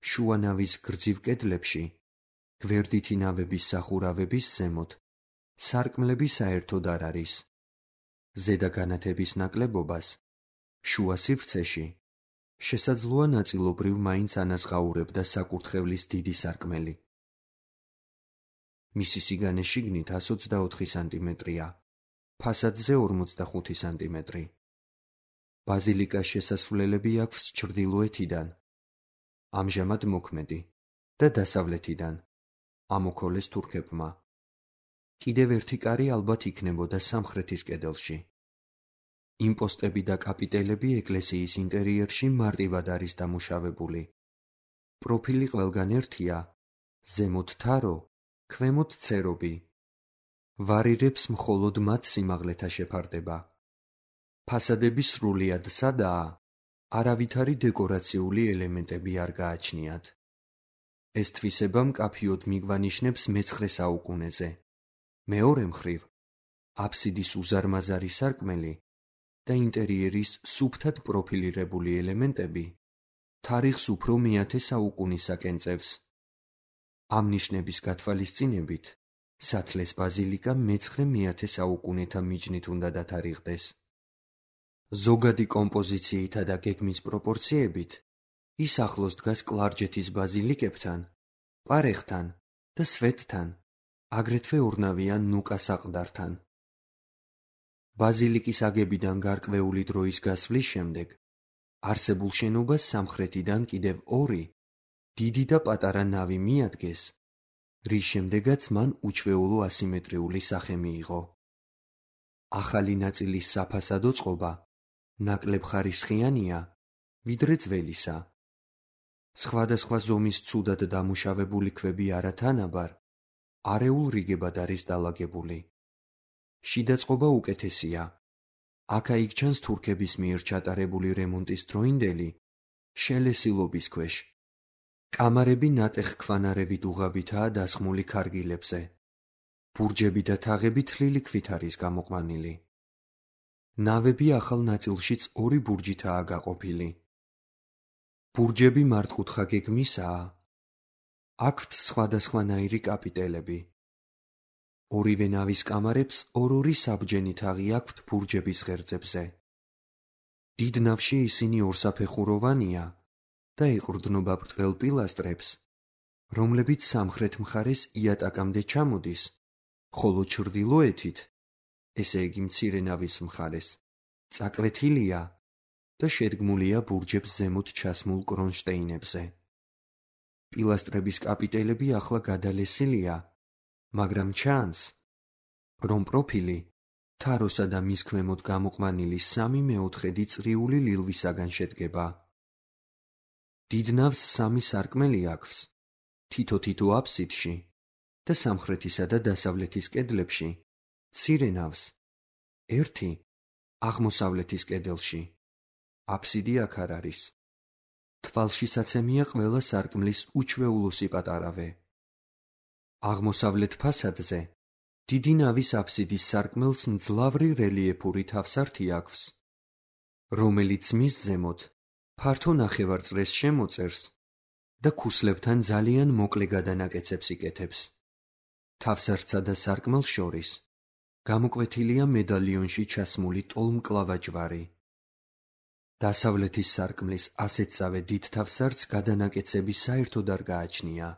შუა ნავის გრძივ კედლებში, გვერდითი ნავების სახურავების ზემოთ, სარკმლები საერთოდ არ არის. ზედა განათების ნაკლებობას, შუა სივრცეში, შესაძლოა ნაწილობრივ მაინც ანაზღაურებდა საკურთხევლის დიდი სარკმელი. მისი სიგანე შიგნით ასი ოცდაოთხი სანტიმეტრია, ფასადზე ორმოცდახუთი სანტიმეტრი. ბაზილიკას შესასვლელები აქვს ჩრდილოეთიდან, ამჟამად მოქმედი, და დასავლეთიდან, ამოქოლეს თურქებმა. კიდევ ერთი კარი ალბათ იქნებოდა სამხრეთის კედელში. იმპოსტები და კაპიტელები ეკლესიის ინტერიერში მარტივად არის დამუშავებული. პროფილი ყველგან ერთია, ზემოთ თარო, ქვემოთ ცერობი. ვარირებს მხოლოდ მათ სიმაღლეთა შეფარდება. ფასადები სრულიად სადაა, არავითარი დეკორაციული ელემენტები არ გააჩნიათ. ეს თვისება მკაფიოდ მიგვანიშნებს მეცხრე საუკუნეზე. მეორე მხრივ, აფსიდის უზარმაზარი სარკმელი და ინტერიერის სუფთად პროფილირებული ელემენტები თარიღს უფრო მეათე საუკუნისაკენ წევს. ამ ნიშნების გათვალისწინებით, სათლეს ბაზილიკა მეცხრე მეათე საუკუნეთა მიჯნით უნდა დათარიღდეს. ზოგადი კომპოზიციითა და გეგმის პროპორციებით ის ახლოს დგას კლარჯეთის ბაზილიკებთან, პარეხთან და სვეტთან, აგრეთვე ორნავიან ნუკა საყდართან. ბაზილიკის აგებიდან გარკვეული დროის გასვლის შემდეგ არსებულ შენობას სამხრეთიდან კიდევ ორი, დიდი და პატარა ნავი მიადგეს, რის შემდეგაც მან უჩვეულო ასიმეტრიული სახე მიიღო. ახალი ნაწილის საფასადო წყობა ნაკლებ ხარისხიანია, ვიდრე ძველისა. სხვადასხვა ზომის ცუდად დამუშავებული ქვები არათანაბარ, არეულ რიგებად არის დალაგებული. შიდა წყობა უკეთესია. აქა-იქ ჩანს თურქების მიერ ჩატარებული რემონტის დროინდელი, შელესილობის ქვეშ. კამარები ნატეხ ქვანარევით უღაბითაა დასხმული ქარგილებზე. ბურჯები და თაღები თლილი ქვით არის გამოყვანილი. ნავები ახალ ნაწილშიც ორი ბურჯითაა გაყოფილი. ბურჯები მართკუთხა გეგმისაა. აქვთ სხვადასხვანაირი კაპიტელები. ორივე ნავის კამარებს ორ-ორი საბჯენი თაღი აქვთ ბურჯების ღერძებზე. დიდ ნავში ისინი ორსაფეხუროვანია და ეყრდნობა ბრტყელ პილასტრებს, რომლებიც სამხრეთ მხარეს იატაკამდე ჩამოდის, ხოლო ჩრდილოეთით, ესე იგი მცირე ნავის მხარეს, წაკვეთილია და შედგმულია ბურჯებს ზემოთ ჩასმულ კრონშტეინებზე. პილასტრების კაპიტელები ახლა გადალესილია, მაგრამ ჩანს, რომ პროფილი თაროსა და მის ქვემოთ გამოყვანილი სამი მეოთხედი წრიული ლილვისაგან შედგება. დიდ ნავს სამი სარკმელი აქვს, თითო-თითო აფსიდში და სამხრეთისა და დასავლეთის კედლებში, მცირე ნავს, ერთი აღმოსავლეთის კედელში. აფსიდი აქ არ არის. თვალშისაცემია ყველა სარკმლის უჩვეულო სიპატარავე. აღმოსავლეთ ფასადზე დიდი ნავის აფსიდის სარკმელს მძლავრი რელიეფური თავსართი აქვს, რომელიც მის ზემოთ ფართო ნახევარწრეს შემოწერს და ქუსლებთან ძალიან მოკლე გადანაკეცებს იკეთებს. თავსართსა და სარკმელს შორის გამოკვეთილია მედალიონში ჩასმული ტოლმკლავა ჯვარი. დასავლეთის სარკმლის ასეთსავე დიდ თავსართს გადანაკეცები საერთოდ არ გააჩნია.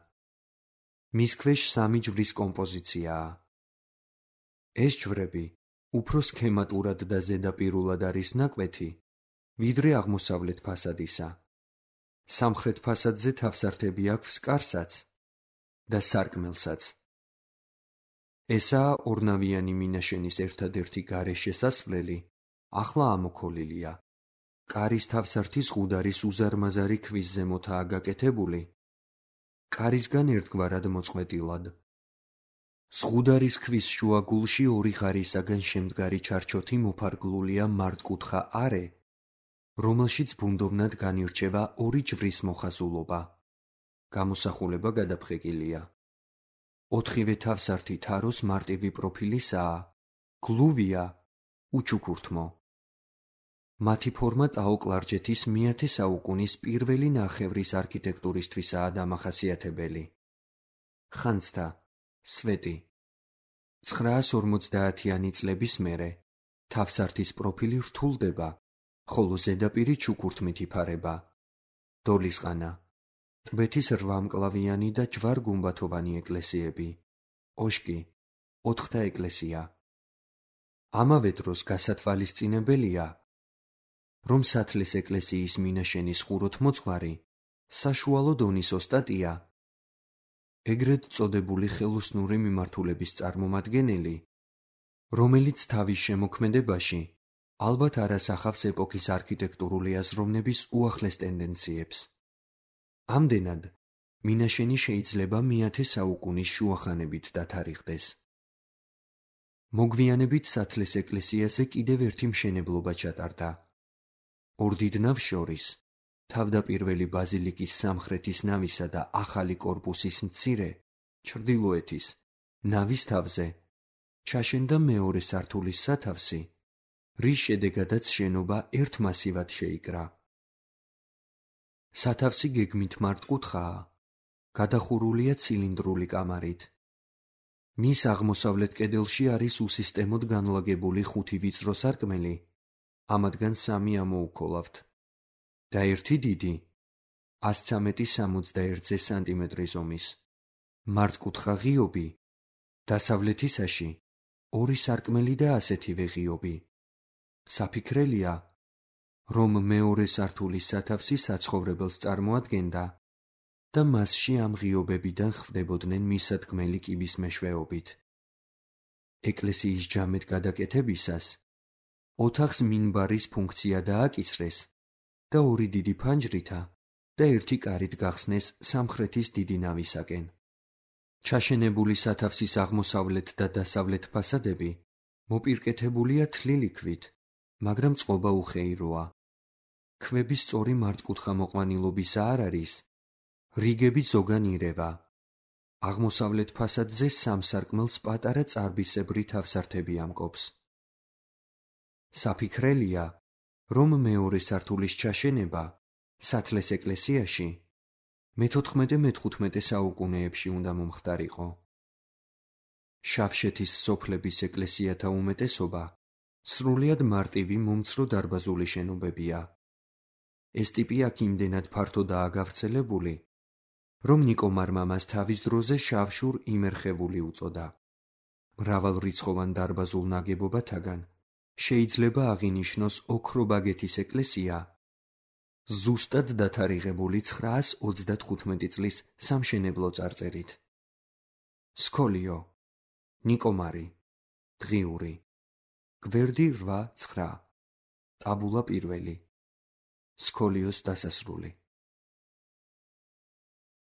მის ქვეშ სამი ჯვრის კომპოზიციაა. ეს ჯვრები უფრო სქემატურად და ზედაპირულად არის ნაკვეთი, ვიდრე აღმოსავლეთ ფასადისა. სამხრეთ ფასადზე თავსართები აქვს კარსაც და სარკმელსაც. ესაა ორნავიანი მინაშენის ერთადერთი გარე შესასვლელი, ახლა ამოქოლილია. კარის თავსართი ზღუდარის უზარმაზარი ქვის ზემოთაა გაკეთებული, კარისგან ერთგვარად მოწყვეტილად. ზღუდარის ქვის შუაგულში ორი ღარისაგან შემდგარი ჩარჩოთი მოფარგლულია მართკუთხა არე, რომელშიც ბუნდოვნად განირჩევა ორი ჯვრის მოხაზულობა. გამოსახულება გადაფხეკილია. ოთხივე თავსართი თაროს მარტივი პროფილისაა, გლუვია, უჩუქურთმო. მათი ფორმა ტაო-კლარჯეთის მეათე საუკუნის პირველი ნახევრის არქიტექტურისთვისაა დამახასიათებელი. ხანძთა, სვეტი. ცხრაას ორმოცდაათიანი წლების მერე თავსართის პროფილი რთულდება, ხოლო ზედაპირი ჩუქურთმით იფარება. დოლისყანა, ტბეთის რვამკლავიანი და ჯვარ-გუმბათოვანი ეკლესიები, ოშკი, ოთხთა ეკლესია. ამავე დროს გასათვალისწინებელია, რომ სათლეს ეკლესიის მინაშენის ხუროთმოძღვარი საშუალო დონის ოსტატია, ეგრეთ წოდებული ხელოსნური მიმართულების წარმომადგენელი, რომელიც თავის შემოქმედებაში ალბათ არ ასახავს ეპოქის არქიტექტურული აზროვნების უახლეს ტენდენციებს. ამდენად, მინაშენი შეიძლება მეათე საუკუნის შუახანებით დათარიღდეს. მოგვიანებით სათლეს ეკლესიაზე კიდევ ერთი მშენებლობა ჩატარდა. ორ დიდ ნავს შორის, თავდაპირველი ბაზილიკის სამხრეთის ნავისა და ახალი კორპუსის მცირე, ჩრდილოეთის, ნავის თავზე, ჩაშენდა მეორე სართულის სათავსი, რის შედეგადაც შენობა ერთ მასივად შეიკრა. სათავსი გეგმით მართკუთხაა, გადახურულია ცილინდრული კამარით. მის აღმოსავლეთ კედელში არის უსისტემოდ განლაგებული ხუთი ვიწრო სარკმელი, ამათგან სამი ამოუქოლავთ და ერთი დიდი, ას ცამეტი სამოცდაერთზე სანტიმეტრი ზომის, მართკუთხა ღიობი, დასავლეთისაში ორი სარკმელი და ასეთივე ღიობი. საფიქრელია, რომ მეორე სართულის სათავსი საცხოვრებელს წარმოადგენდა და მასში ამ ღიობებიდან ხვდებოდნენ მისადგმელი კიბის მეშვეობით. ეკლესიის ჯამედ გადაკეთებისას ოთახს მინბარის ფუნქცია დააკისრეს და ორი დიდი ფანჯრითა და ერთი კარით გახსნეს სამხრეთის დიდი ნავისაკენ. ჩაშენებული სათავსის აღმოსავლეთ და დასავლეთ ფასადები მოპირკეთებულია თლილი ქვით, მაგრამ წყობა უხეიროა. ქვები სწორი მართკუთხა მოყვანილობისა არ არის, რიგები ზოგან ირევა. აღმოსავლეთ ფასადზე სამ სარკმელს პატარა წარბისებრი თავსართები ამკობს. საფიქრელია, რომ მეორე სართულის ჩაშენება სათლეს ეკლესიაში მეთოთხმეტე-მეთყუთმეტე საუკუნეებში უნდა მომხდარიყო. შავშეთის სოფლების ეკლესიათა უმეტესობა სრულიად მარტივი მომცრო დარბაზული შენობებია. ეს ტიპი აქ იმდენად ფართოდაა გავრცელებული, რომ ნიკომარმა მას თავის დროზე შავშურ იმერხევული უწოდა. მრავალრიცხოვან დარბაზულ ნაგებობათაგან შეიძლება აღინიშნოს ოქრობაგეთის ეკლესია, ზუსტად დათარიღებული ცხრაას ოცდათხუთმეტი წლის სამშენებლო წარწერით. სქოლიო, ნიკომარი, დღიური, გვერდი რვა ცხრა, ტაბულა პირველი, სქოლიოს დასასრული.